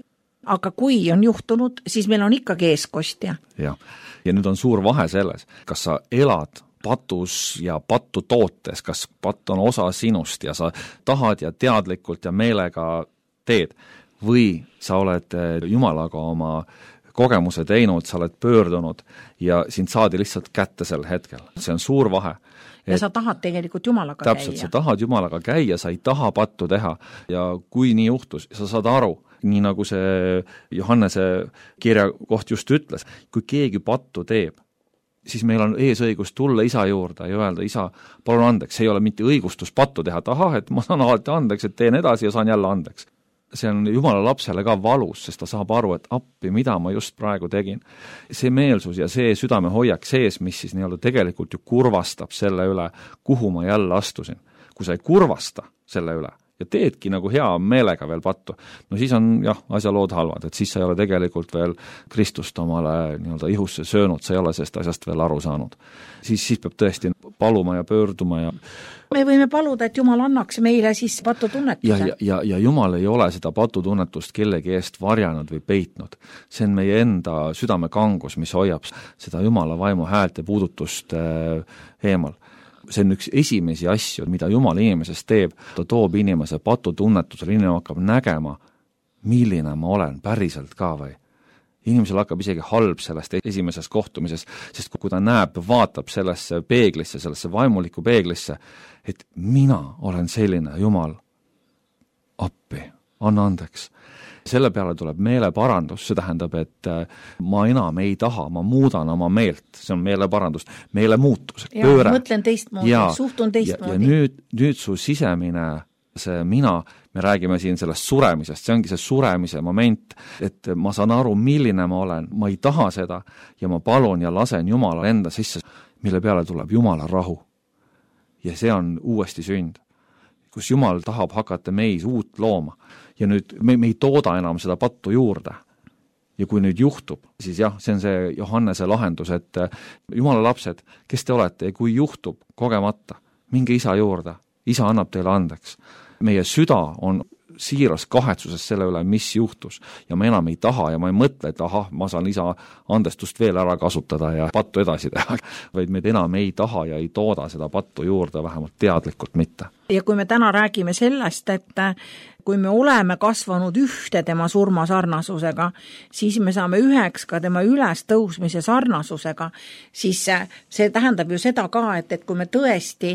aga kui on juhtunud, siis meil on ikkagi eeskostja. Ja. ja nüüd on suur vahe selles, kas sa elad patus ja pattu tootes, kas patt on osa sinust ja sa tahad ja teadlikult ja meelega teed või sa oled Jumalaga oma kogemuse teinud, sa oled pöördunud ja sind saadi lihtsalt kätte sel hetkel. See on suur vahe. Ja et, sa tahad tegelikult Jumalaga täpselt, käia. Täpselt, sa tahad Jumalaga käia, sa ei taha pattu teha ja kui nii juhtus, sa saad aru, nii nagu see Johannese kirja koht just ütles, kui keegi pattu teeb, siis meil on eesõigus tulla isa juurde ja öelda, isa, palun andeks, see ei ole mitte õigustus pattu teha, taha, et ma saan alati andeks, et teen edasi ja saan jälle andeks. See on Jumala lapsele ka valus, sest ta saab aru, et appi, mida ma just praegu tegin. See meelsus ja see südame hoiak sees, mis siis nii-öelda tegelikult ju kurvastab selle üle, kuhu ma jälle astusin. Kui sa ei kurvasta selle üle ja teedki nagu hea meelega veel pattu, no siis on jah, asjalood halvad, et siis sa ei ole tegelikult veel Kristust omale nii-öelda ihusse söönud, sa ei ole sellest asjast veel aru saanud. Siis, siis peab tõesti paluma ja pöörduma ja me võime paluda, et Jumal annaks meile siis patutunnetuse. Ja, ja, ja, ja Jumal ei ole seda patutunnetust kellegi eest varjanud või peitnud. See on meie enda südame kangus, mis hoiab seda Jumala vaimu häält ja puudutust äh, eemal. See on üks esimesi asju, mida Jumal inimesest teeb. Ta toob inimese patutunnetusele, inimene hakkab nägema, milline ma olen päriselt ka või. Inimesel hakkab isegi halb sellest esimesest kohtumisest, sest kui ta näeb, vaatab sellesse peeglisse, sellesse vaimulikku peeglisse, et mina olen selline, Jumal, appi, anna andeks. Selle peale tuleb meeleparandus, see tähendab, et ma enam ei taha, ma muudan oma meelt, see on meeleparandus, meelemuutus, pööre. Mõtlen teistmoodi, suhtun teistmoodi. Ja, ja nüüd, nüüd su sisemine see mina, me räägime siin sellest suremisest, see ongi see suremise moment, et ma saan aru, milline ma olen, ma ei taha seda ja ma palun ja lasen Jumala enda sisse, mille peale tuleb Jumala rahu. Ja see on uuesti sünd, kus Jumal tahab hakata meis uut looma ja nüüd me, me ei tooda enam seda pattu juurde. Ja kui nüüd juhtub, siis jah, see on see Johannese lahendus, et Jumala lapsed, kes te olete ja kui juhtub kogemata, minge isa juurde, isa annab teile andeks. Meie süda on siiras kahetsuses selle üle, mis juhtus ja ma enam ei taha ja ma ei mõtle, et ahah, ma saan isa andestust veel ära kasutada ja pattu edasi teha, vaid meid enam ei taha ja ei tooda seda pattu juurde, vähemalt teadlikult mitte. Ja kui me täna räägime sellest, et kui me oleme kasvanud ühte tema surma sarnasusega, siis me saame üheks ka tema ülestõusmise sarnasusega, siis see tähendab ju seda ka, et, et kui me tõesti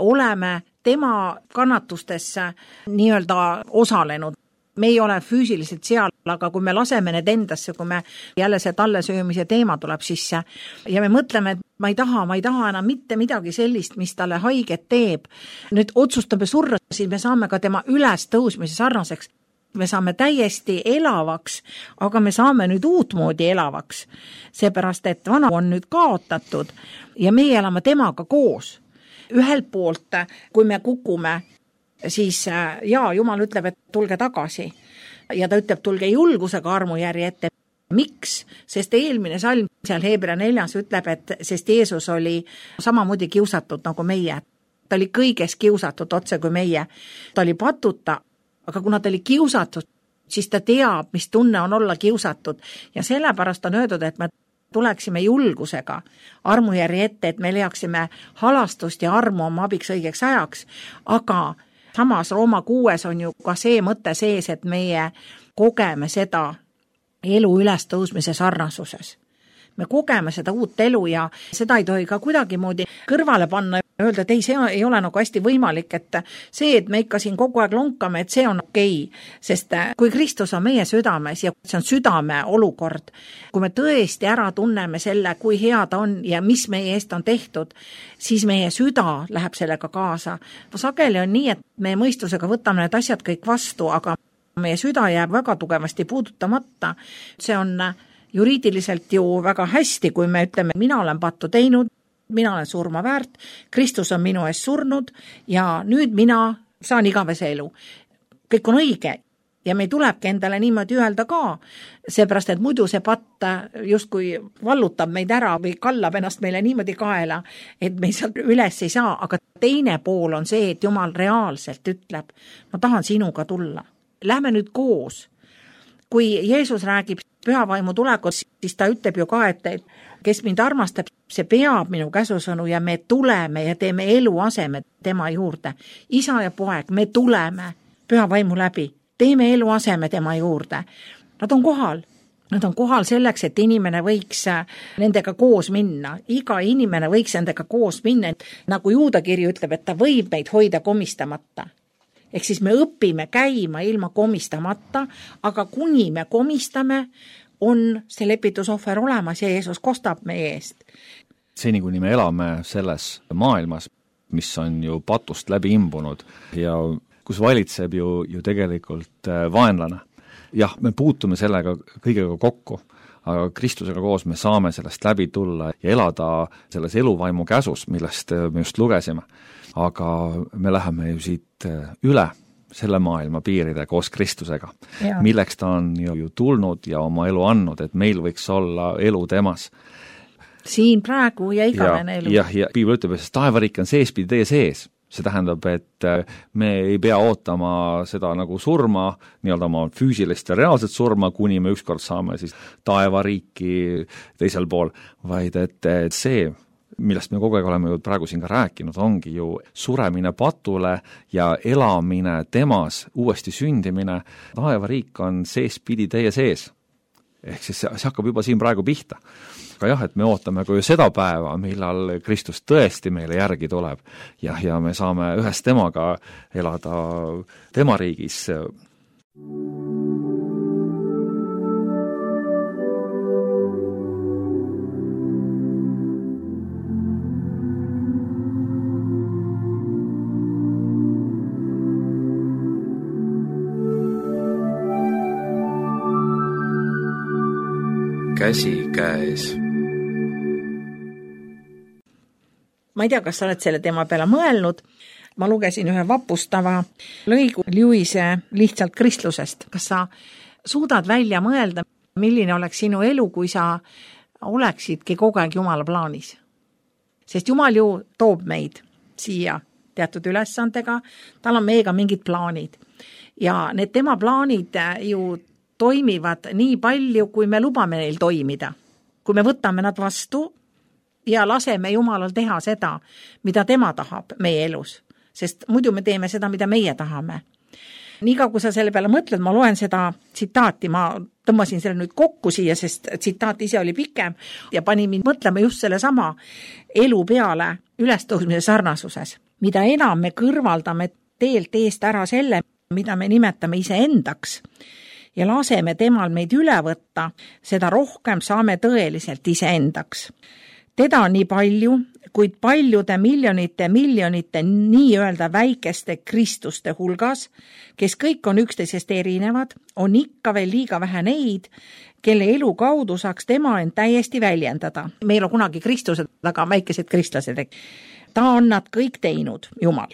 oleme tema kannatustesse nii-öelda osalenud. me ei ole füüsiliselt seal, aga kui me laseme need endasse, kui me jälle see tallesöömise teema tuleb sisse ja me mõtleme, et ma ei taha, ma ei taha enam mitte midagi sellist, mis talle haiget teeb. Nüüd otsustame surra, siis me saame ka tema üles tõusmise sarnaseks. Me saame täiesti elavaks, aga me saame nüüd uutmoodi elavaks, seepärast, et vana on nüüd kaotatud ja meie elame temaga koos. Ühelt poolt, kui me kukume, siis jaa, Jumal ütleb, et tulge tagasi ja ta ütleb, tulge julgusega armujärje ette. Miks? Sest eelmine salm seal Heebrea neljas ütleb, et sest Jeesus oli samamoodi kiusatud nagu meie. Ta oli kõiges kiusatud otse kui meie. Ta oli patuta, aga kuna ta oli kiusatud, siis ta teab, mis tunne on olla kiusatud. Ja sellepärast on öeldud, et me tuleksime julgusega armujärje ette, et me leiaksime halastust ja armu oma abiks õigeks ajaks. Aga samas Rooma kuues on ju ka see mõte sees, et meie kogeme seda elu ülestõusmise sarnasuses. Me kogeme seda uut elu ja seda ei tohi ka kuidagi moodi kõrvale panna ja öelda, et ei, see ei ole nagu hästi võimalik, et see, et me ikka siin kogu aeg lonkame, et see on okei, sest kui Kristus on meie südames ja see on südame olukord, kui me tõesti ära tunneme selle, kui hea ta on ja mis meie eest on tehtud, siis meie süda läheb sellega kaasa. Sageli on nii, et meie mõistusega võtame need asjad kõik vastu, aga meie süda jääb väga tugevasti puudutamata. See on juriidiliselt ju väga hästi, kui me ütleme, mina olen pattu teinud, mina olen surma väärt, Kristus on minu ees surnud ja nüüd mina saan igavese elu. Kõik on õige ja me tulebki endale niimoodi öelda ka, seepärast, et muidu see patt justkui vallutab meid ära või kallab ennast meile niimoodi kaela, et me sealt üles ei saa, aga teine pool on see, et Jumal reaalselt ütleb, ma tahan sinuga tulla. Lähme nüüd koos. Kui Jeesus räägib pühavaimu tulekut, siis ta ütleb ju ka, et kes mind armastab, see peab minu käsusõnu ja me tuleme ja teeme elu aseme tema juurde. Isa ja poeg, me tuleme pühavaimu läbi, teeme elu aseme tema juurde. Nad on kohal. Nad on kohal selleks, et inimene võiks nendega koos minna. Iga inimene võiks nendega koos minna. Nagu Juudakiri ütleb, et ta võib meid hoida komistamata. Ehk siis me õpime käima ilma komistamata, aga kuni me komistame, on see lepitusohver olemas ja Jeesus kostab meie eest. Seni, kuni me elame selles maailmas, mis on ju patust läbi imbunud ja kus valitseb ju, ju tegelikult vaenlane. Jah, me puutume sellega kõigega kokku, aga Kristusega koos me saame sellest läbi tulla ja elada selles eluvaimu käsus, millest me just lugesime. Aga me läheme ju siit üle selle maailma piiride koos Kristusega, ja. Milleks ta on ju, ju tulnud ja oma elu andnud, et meil võiks olla elu temas. Siin praegu ja igavene elu. Jah, ja Piibel ütleb, et taevariik on seespidi teie sees. See tähendab, et me ei pea ootama seda nagu surma, nii-öelda oma füüsilist ja reaalset surma, kuni me ükskord saame siis taevariiki teisel pool, vaid et, et see millest me kogu aeg oleme ju praegu siin ka rääkinud, ongi ju suremine patule ja elamine temas, uuesti sündimine. Taevariik on seespidi teie sees. Ehk siis see hakkab juba siin praegu pihta. Aga jah, et me ootame ka ju seda päeva, millal Kristus tõesti meile järgi tuleb ja, ja me saame ühes temaga elada tema riigis. Käsi käes. Ma ei tea, kas sa oled selle teema peale mõelnud. Ma lugesin ühe vapustava lõigu Lewise lihtsalt kristlusest. Kas sa suudad välja mõelda, milline oleks sinu elu, kui sa oleksidki kogu aeg Jumala plaanis? Sest Jumal ju toob meid siia teatud ülesandega, tal on meiega mingid plaanid. Ja need tema plaanid ju toimivad nii palju, kui me lubame neil toimida. Kui me võtame nad vastu ja laseme Jumalal teha seda, mida tema tahab meie elus. Sest muidu me teeme seda, mida meie tahame. Niiga, kui sa selle peale mõtled, ma loen seda tsitaati, ma tõmbasin selle nüüd kokku siia, sest tsitaat ise oli pikem ja pani mind mõtlema just selle sama elu peale ülestõusmise sarnasuses. Mida enam me kõrvaldame teelt eest ära selle, mida me nimetame iseendaks, ja laseme temal meid üle võtta, seda rohkem saame tõeliselt iseendaks. Teda on nii palju, kuid paljude miljonite miljonite nii-öelda väikeste Kristuste hulgas, kes kõik on üksteisest erinevad, on ikka veel liiga vähe neid, kelle elu kaudu saaks tema end täiesti väljendada. Meil on kunagi Kristused, aga väikesed kristlased. Ta on nad kõik teinud, Jumal.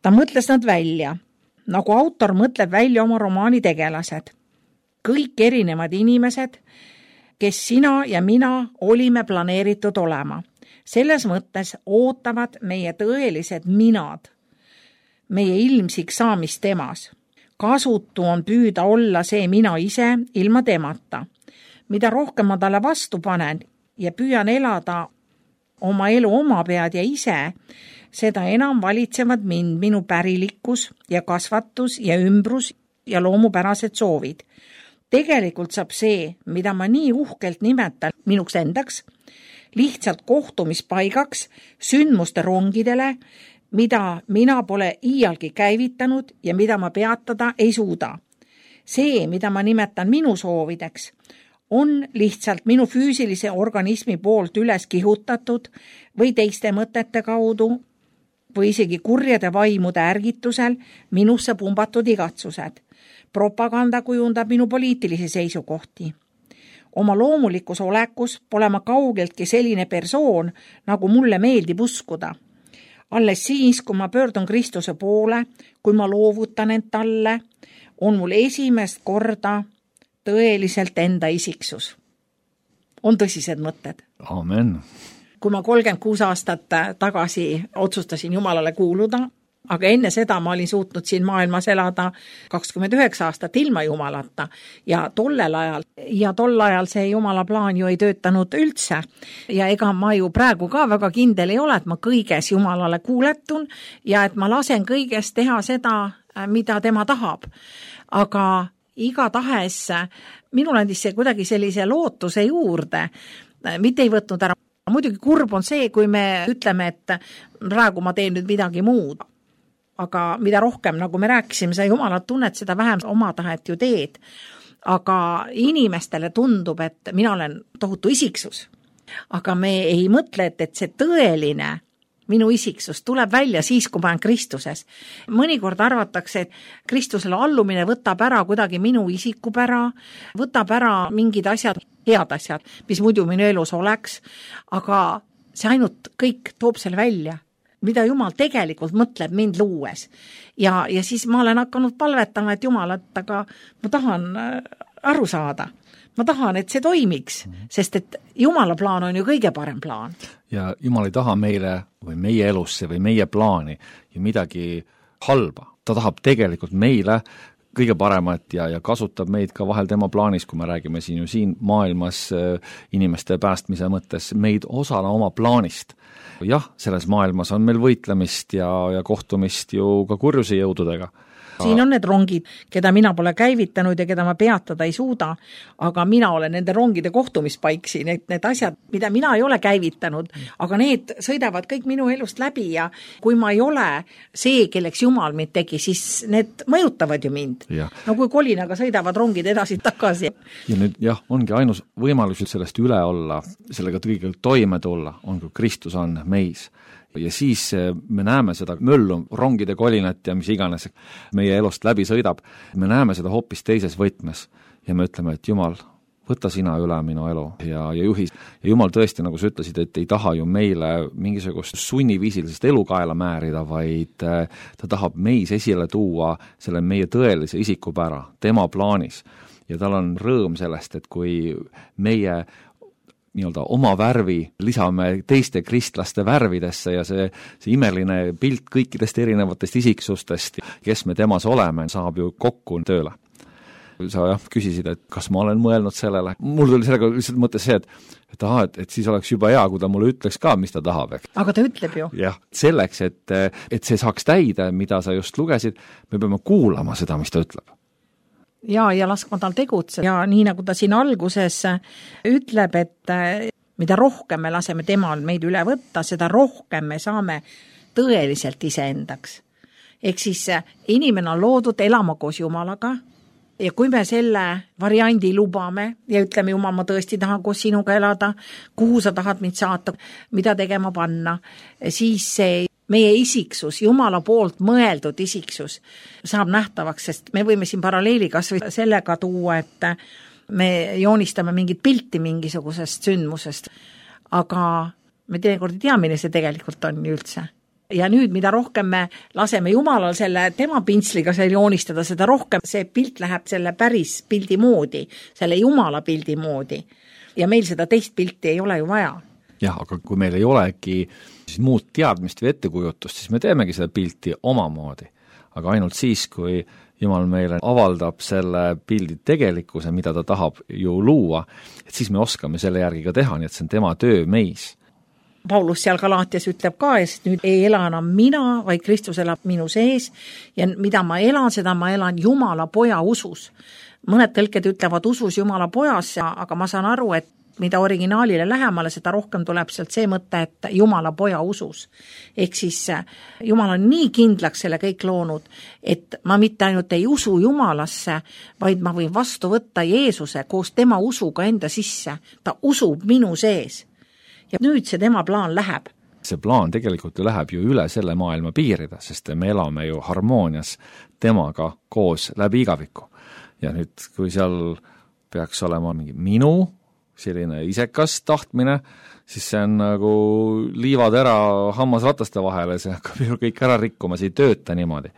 Ta mõtles nad välja, nagu autor mõtleb välja oma romaani tegelased. Kõik erinevad inimesed, kes sina ja mina olime planeeritud olema. Selles mõttes ootavad meie tõelised minad, meie ilmsik saamist temas. Kasutu on püüda olla see mina ise ilma temata. Mida rohkem ma talle vastu panen ja püüan elada oma elu oma pead ja ise, seda enam valitsevad mind minu pärilikkus ja kasvatus ja ümbrus ja loomupärased soovid. Tegelikult saab see, mida ma nii uhkelt nimetan minuks endaks, lihtsalt kohtumispaigaks sündmuste rongidele, mida mina pole iialgi käivitanud ja mida ma peatada ei suuda. See, mida ma nimetan minu soovideks, on lihtsalt minu füüsilise organismi poolt üles kihutatud või teiste mõtete kaudu või isegi kurjade vaimude ärgitusel minusse pumbatud igatsused. Propaganda kujundab minu poliitilisi seisukohti. Oma loomulikus olekus pole ma kaugeltki selline persoon, nagu mulle meeldib uskuda. Alles siis, kui ma pöördun Kristuse poole, kui ma loovutan end talle, on mul esimest korda tõeliselt enda isiksus. On tõsised mõtted. Amen. Kui ma kolmkümmend kuus aastat tagasi otsustasin Jumalale kuuluda, aga enne seda ma olin suutnud siin maailmas elada kakskümmend üheksa aastat ilma Jumalata ja tollel ajal, ja tol ajal see Jumala plaan ju ei töötanud üldse. Ja ega ma ju praegu ka väga kindel ei ole, et ma kõiges Jumalale kuuletun ja et ma lasen kõiges teha seda, mida tema tahab. Aga iga tahes minul andis see kuidagi sellise lootuse juurde, mitte ei võtnud ära. Muidugi kurb on see, kui me ütleme, et praegu ma teen nüüd midagi muud. Aga mida rohkem, nagu me rääkisime, sa Jumalat tunned, seda vähem oma tahet ju teed. Aga inimestele tundub, et mina olen tohutu isiksus. Aga me ei mõtle, et, et see tõeline minu isiksus tuleb välja siis, kui ma olen Kristuses. Mõnikord arvatakse, et Kristusele allumine võtab ära kuidagi minu isikupära, võtab ära mingid asjad, head asjad, mis muidu minu elus oleks, aga see ainult kõik toob selle välja, mida Jumal tegelikult mõtleb mind luues. Ja, ja siis ma olen hakanud palvetama, et Jumal, et aga ma tahan aru saada. Ma tahan, et see toimiks, sest et Jumala plaan on ju kõige parem plaan. Ja Jumal ei taha meile või meie elusse või meie plaani ja midagi halba. Ta tahab tegelikult meile kõige paremat ja, ja kasutab meid ka vahel tema plaanis, kui me räägime siin ju siin maailmas inimeste päästmise mõttes, meid osana oma plaanist. Jah, selles maailmas on meil võitlemist ja, ja kohtumist ju ka kurjuse jõududega. Siin on need rongid, keda mina pole käivitanud ja keda ma peatada ei suuda, aga mina olen nende rongide kohtumispaik siin, et need asjad, mida mina ei ole käivitanud, aga need sõidavad kõik minu elust läbi ja kui ma ei ole see, kelleks Jumal mind tegi, siis need mõjutavad ju mind. Ja. No kui kolinaga sõidavad rongid edasi tagasi. Ja nüüd jah, ongi ainus võimalus sellest üle olla, sellega kõigil toime tulla, on kui Kristus on meis. Ja siis me näeme seda möllu, rongide kolinat ja mis iganes meie elust läbi sõidab. Me näeme seda hoopis teises võtmes ja me ütleme, et Jumal, võta sina üle minu elu ja, ja juhi. Ja Jumal tõesti, nagu sa ütlesid, et ei taha ju meile mingisugust sunniviisilisest elukaela määrida, vaid ta tahab meis esile tuua selle meie tõelise isikupära, tema plaanis. Ja tal on rõõm sellest, et kui meie nii-öelda oma värvi lisame teiste kristlaste värvidesse ja see, see imeline pilt kõikidest erinevatest isiksustest, kes me temas oleme, saab ju kokku tööle. Sa jah, küsisid, et kas ma olen mõelnud sellele. Mul tuli sellega lihtsalt mõttes see, et, et, aha, et, et siis oleks juba hea, kui ta mulle ütleks ka, mis ta tahab. Eks. Aga ta ütleb ju. Jah, selleks, et, et see saaks täide, mida sa just lugesid, me peame kuulama seda, mis ta ütleb. Ja, ja laskma tal tegutseda. Ja nii nagu ta siin alguses ütleb, et mida rohkem me laseme temal meid üle võtta, seda rohkem me saame tõeliselt iseendaks. Ehk siis inimene on loodud elama koos Jumalaga ja kui me selle variandi lubame ja ütleme, Jumal, ma tõesti tahan koos sinuga elada, kuhu sa tahad mind saata, mida tegema panna, siis see meie isiksus, Jumala poolt mõeldud isiksus saab nähtavaks, sest me võime siin paralleeli kas või sellega tuua, et me joonistame mingit pilti mingisugusest sündmusest, aga me teinekord ei tea, milline see tegelikult on üldse. Ja nüüd, mida rohkem me laseme Jumalal selle tema pintsliga seal joonistada, seda rohkem see pilt läheb selle päris pildi moodi, selle Jumala pildi moodi. Ja meil seda teist pilti ei ole ju vaja. Jah, aga kui meil ei olegi siis muud teadmist või ettekujutust, siis me teemegi seda pilti omamoodi. Aga ainult siis, kui Jumal meile avaldab selle pildi tegelikkuse, mida ta tahab ju luua, et siis me oskame selle järgi ka teha, nii et see on tema töö meis. Paulus seal Galaatias ütleb ka, et nüüd ei ela enam mina, vaid Kristus elab minu sees ja mida ma elan, seda ma elan Jumala poja usus. Mõned tõlked ütlevad usus Jumala pojas, aga ma saan aru, et mida originaalile lähemale, seda rohkem tuleb sealt see mõte, et Jumala poja usus. Ehk siis Jumal on nii kindlaks selle kõik loonud, et ma mitte ainult ei usu Jumalasse, vaid ma võin vastu võtta Jeesuse koos tema usuga enda sisse. Ta usub minu sees. Ja nüüd see tema plaan läheb. See plaan tegelikult ju läheb ju üle selle maailma piirida, sest me elame ju harmoonias temaga koos läbi igaviku. Ja nüüd, kui seal peaks olema mingi minu selline isekas tahtmine, siis see on nagu liivad ära hammasrataste vahele, see hakkab ju kõik ära rikkuma, see ei tööta niimoodi.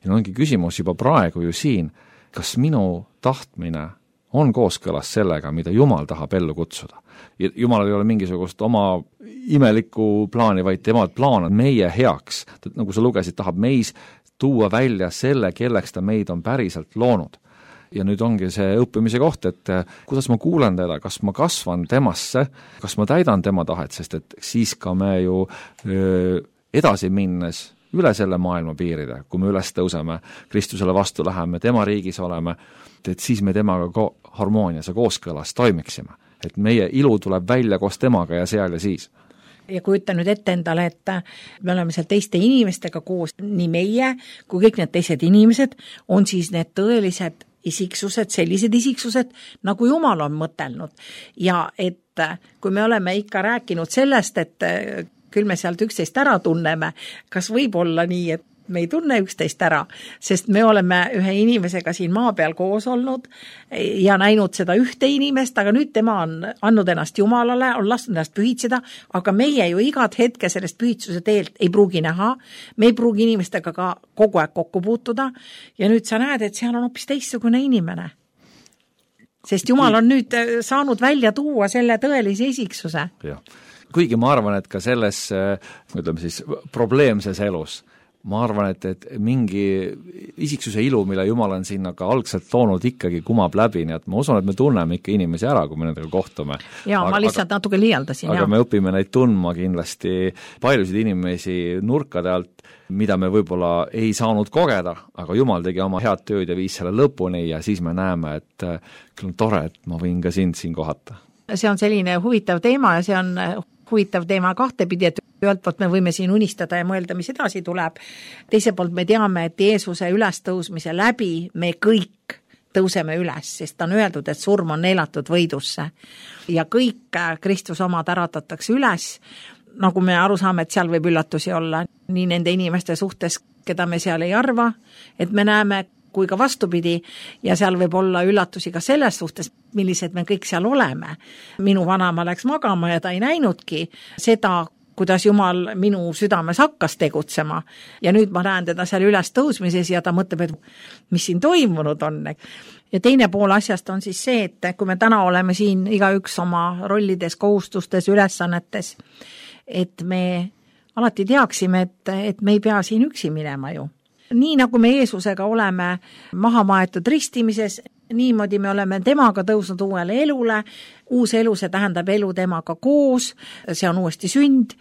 Ja ongi küsimus juba praegu ju siin, kas minu tahtmine on kooskõlas sellega, mida Jumal tahab ellu kutsuda. Jumalal ei ole mingisugust oma imelikku plaani, vaid tema plaan on meie heaks. Ta, nagu sa lugesid, tahab meis tuua välja selle, kelleks ta meid on päriselt loonud. Ja nüüd ongi see õppimise koht, et kuidas ma kuulen teda, kas ma kasvan temasse, kas ma täidan tema tahet, sest et siis ka me ju öö, edasi minnes üle selle maailma piiride, kui me üles tõuseme, Kristusele vastu läheme, tema riigis oleme, et siis me temaga ko- harmoonias ja kooskõlas toimiksime. Et meie ilu tuleb välja koos temaga ja seal ja siis. Ja kujuta nüüd ette endale, et me oleme seal teiste inimestega koos, nii meie kui kõik need teised inimesed on siis need tõelised isiksused, sellised isiksused, nagu Jumal on mõtelnud. Ja et kui me oleme ikka rääkinud sellest, et küll me sealt üksteist ära tunneme, kas võib olla nii, et me ei tunne üksteist ära, sest me oleme ühe inimesega siin maa peal koos olnud ja näinud seda ühte inimest, aga nüüd tema on andnud ennast Jumalale, on lasknud ennast pühitseda, aga meie ju igat hetke sellest pühitsuse teelt ei pruugi näha, me ei pruugi inimestega ka kogu aeg kokku puutuda ja nüüd sa näed, et seal on hoopis teistsugune inimene. Sest Jumal on nüüd saanud välja tuua selle tõelise isiksuse. Jah. Kuigi ma arvan, et ka selles, ütleme siis, probleemses elus ma arvan, et, et mingi isiksuse ilu, mille Jumal on sinna ka algselt toonud, ikkagi kumab läbi, nii et ma usun, et me tunneme ikka inimesi ära, kui me nendega kohtume. Jaa, ma lihtsalt aga, natuke liialdasin. Aga jah. Me õpime neid tundma kindlasti paljusid inimesi nurkade alt, mida me võib-olla ei saanud kogeda, aga Jumal tegi oma head tööd ja viis selle lõpuni ja siis me näeme, et küll on tore, et ma võin ka sind siin kohata. See on selline huvitav teema ja see on huvitav teema kahtepidi, et ühelt poolt me võime siin unistada ja mõelda, mis edasi tuleb. Teise poolt me teame, et Jeesuse ülestõusmise läbi me kõik tõuseme üles, sest on öeldud, et surm on neelatud võidusse. Ja kõik Kristus omad äratatakse üles, nagu me aru saame, et seal võib üllatusi olla nii nende inimeste suhtes, keda me seal ei arva, et me näeme kui ka vastupidi ja seal võib olla üllatusi ka selles suhtes, millised me kõik seal oleme. Minu vanaema läks magama ja ta ei näinudki seda, kuidas Jumal minu südames hakkas tegutsema. Ja nüüd ma näen teda seal üles tõusmises ja ta mõtleb, et mis siin toimunud on. Ja teine pool asjast on siis see, et kui me täna oleme siin igaüks oma rollides, kohustustes, ülesannetes, et me alati teaksime, et, et me ei pea siin üksi minema ju. Nii nagu me Jeesusega oleme maha maetud ristimises, niimoodi me oleme temaga tõusnud uuele elule, uus elu, see tähendab elu temaga koos, see on uuesti sünd,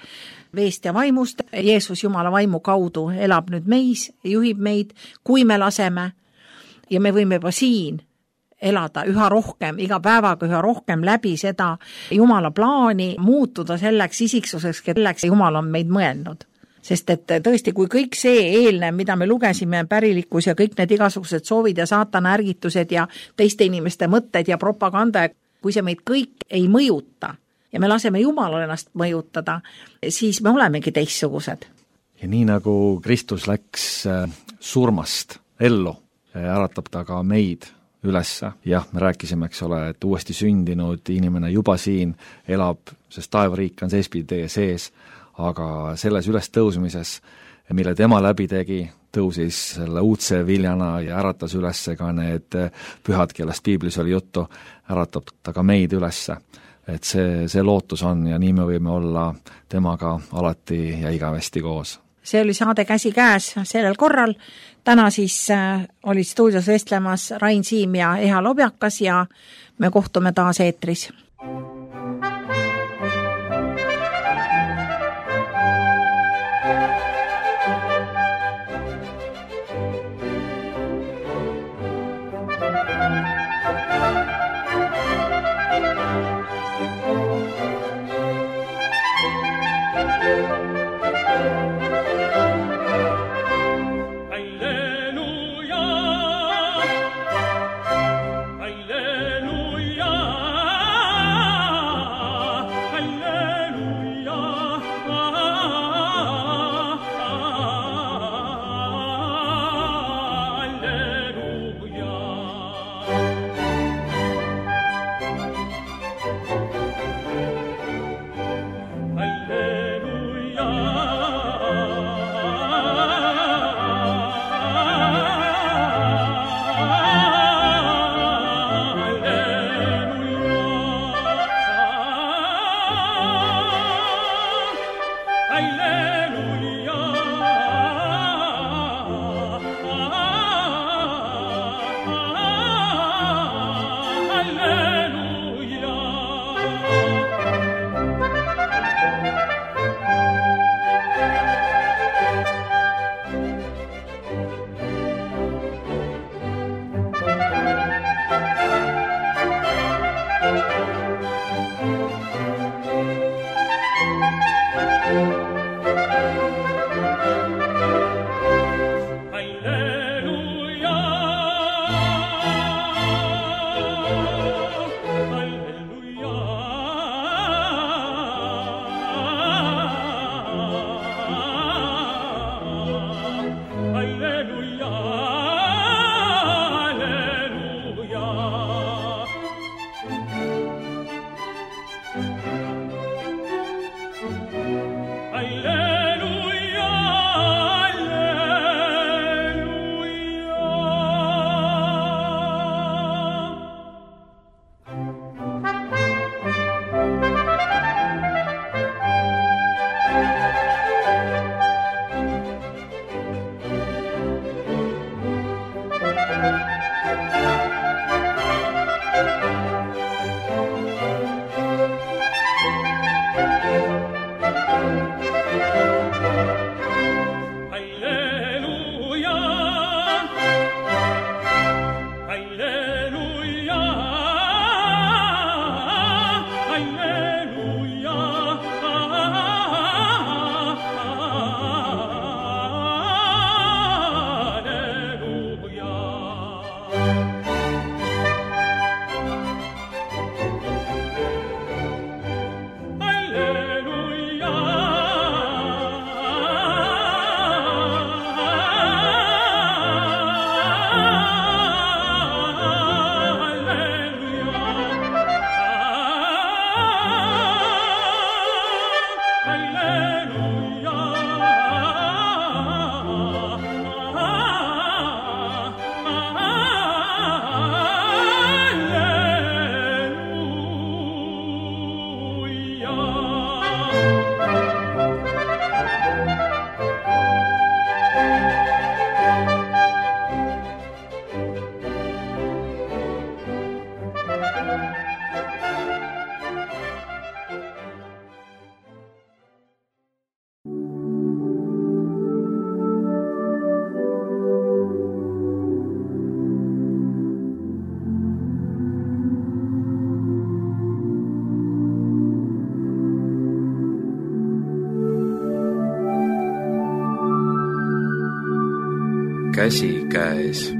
veest ja vaimust, Jeesus Jumala vaimu kaudu elab nüüd meis, juhib meid, kui me laseme ja me võime juba siin elada üha rohkem, iga päevaga üha rohkem läbi seda Jumala plaani, muutuda selleks isiksuseks, kelleks Jumal on meid mõelnud. Sest et tõesti, kui kõik see eelnev, mida me lugesime, pärilikkus ja kõik need igasugused soovid ja saatana ärgitused ja teiste inimeste mõtted ja propaganda, kui see meid kõik ei mõjuta ja me laseme Jumalal ennast mõjutada, siis me olemegi teistsugused. Ja nii nagu Kristus läks surmast ellu, äratab ta ka meid ülesse. Jah, me rääkisime, eks ole, et uuesti sündinud inimene juba siin elab, sest taevariik on seespidi teie sees, aga selles üles tõusmises, mille tema läbi tegi, tõusis selle uudse viljana ja äratas ülesse ka need pühad, kellest Piiblis oli juttu, äratab ta ka meid ülesse. Et see, see lootus on ja nii me võime olla temaga alati ja igavesti koos. See oli saade Käsi käes sellel korral. Täna siis olid stuudios vestlemas Rain Siim ja Eha Lobjakas ja me kohtume taas eetris. Alleluia, alleluia. käsikäes.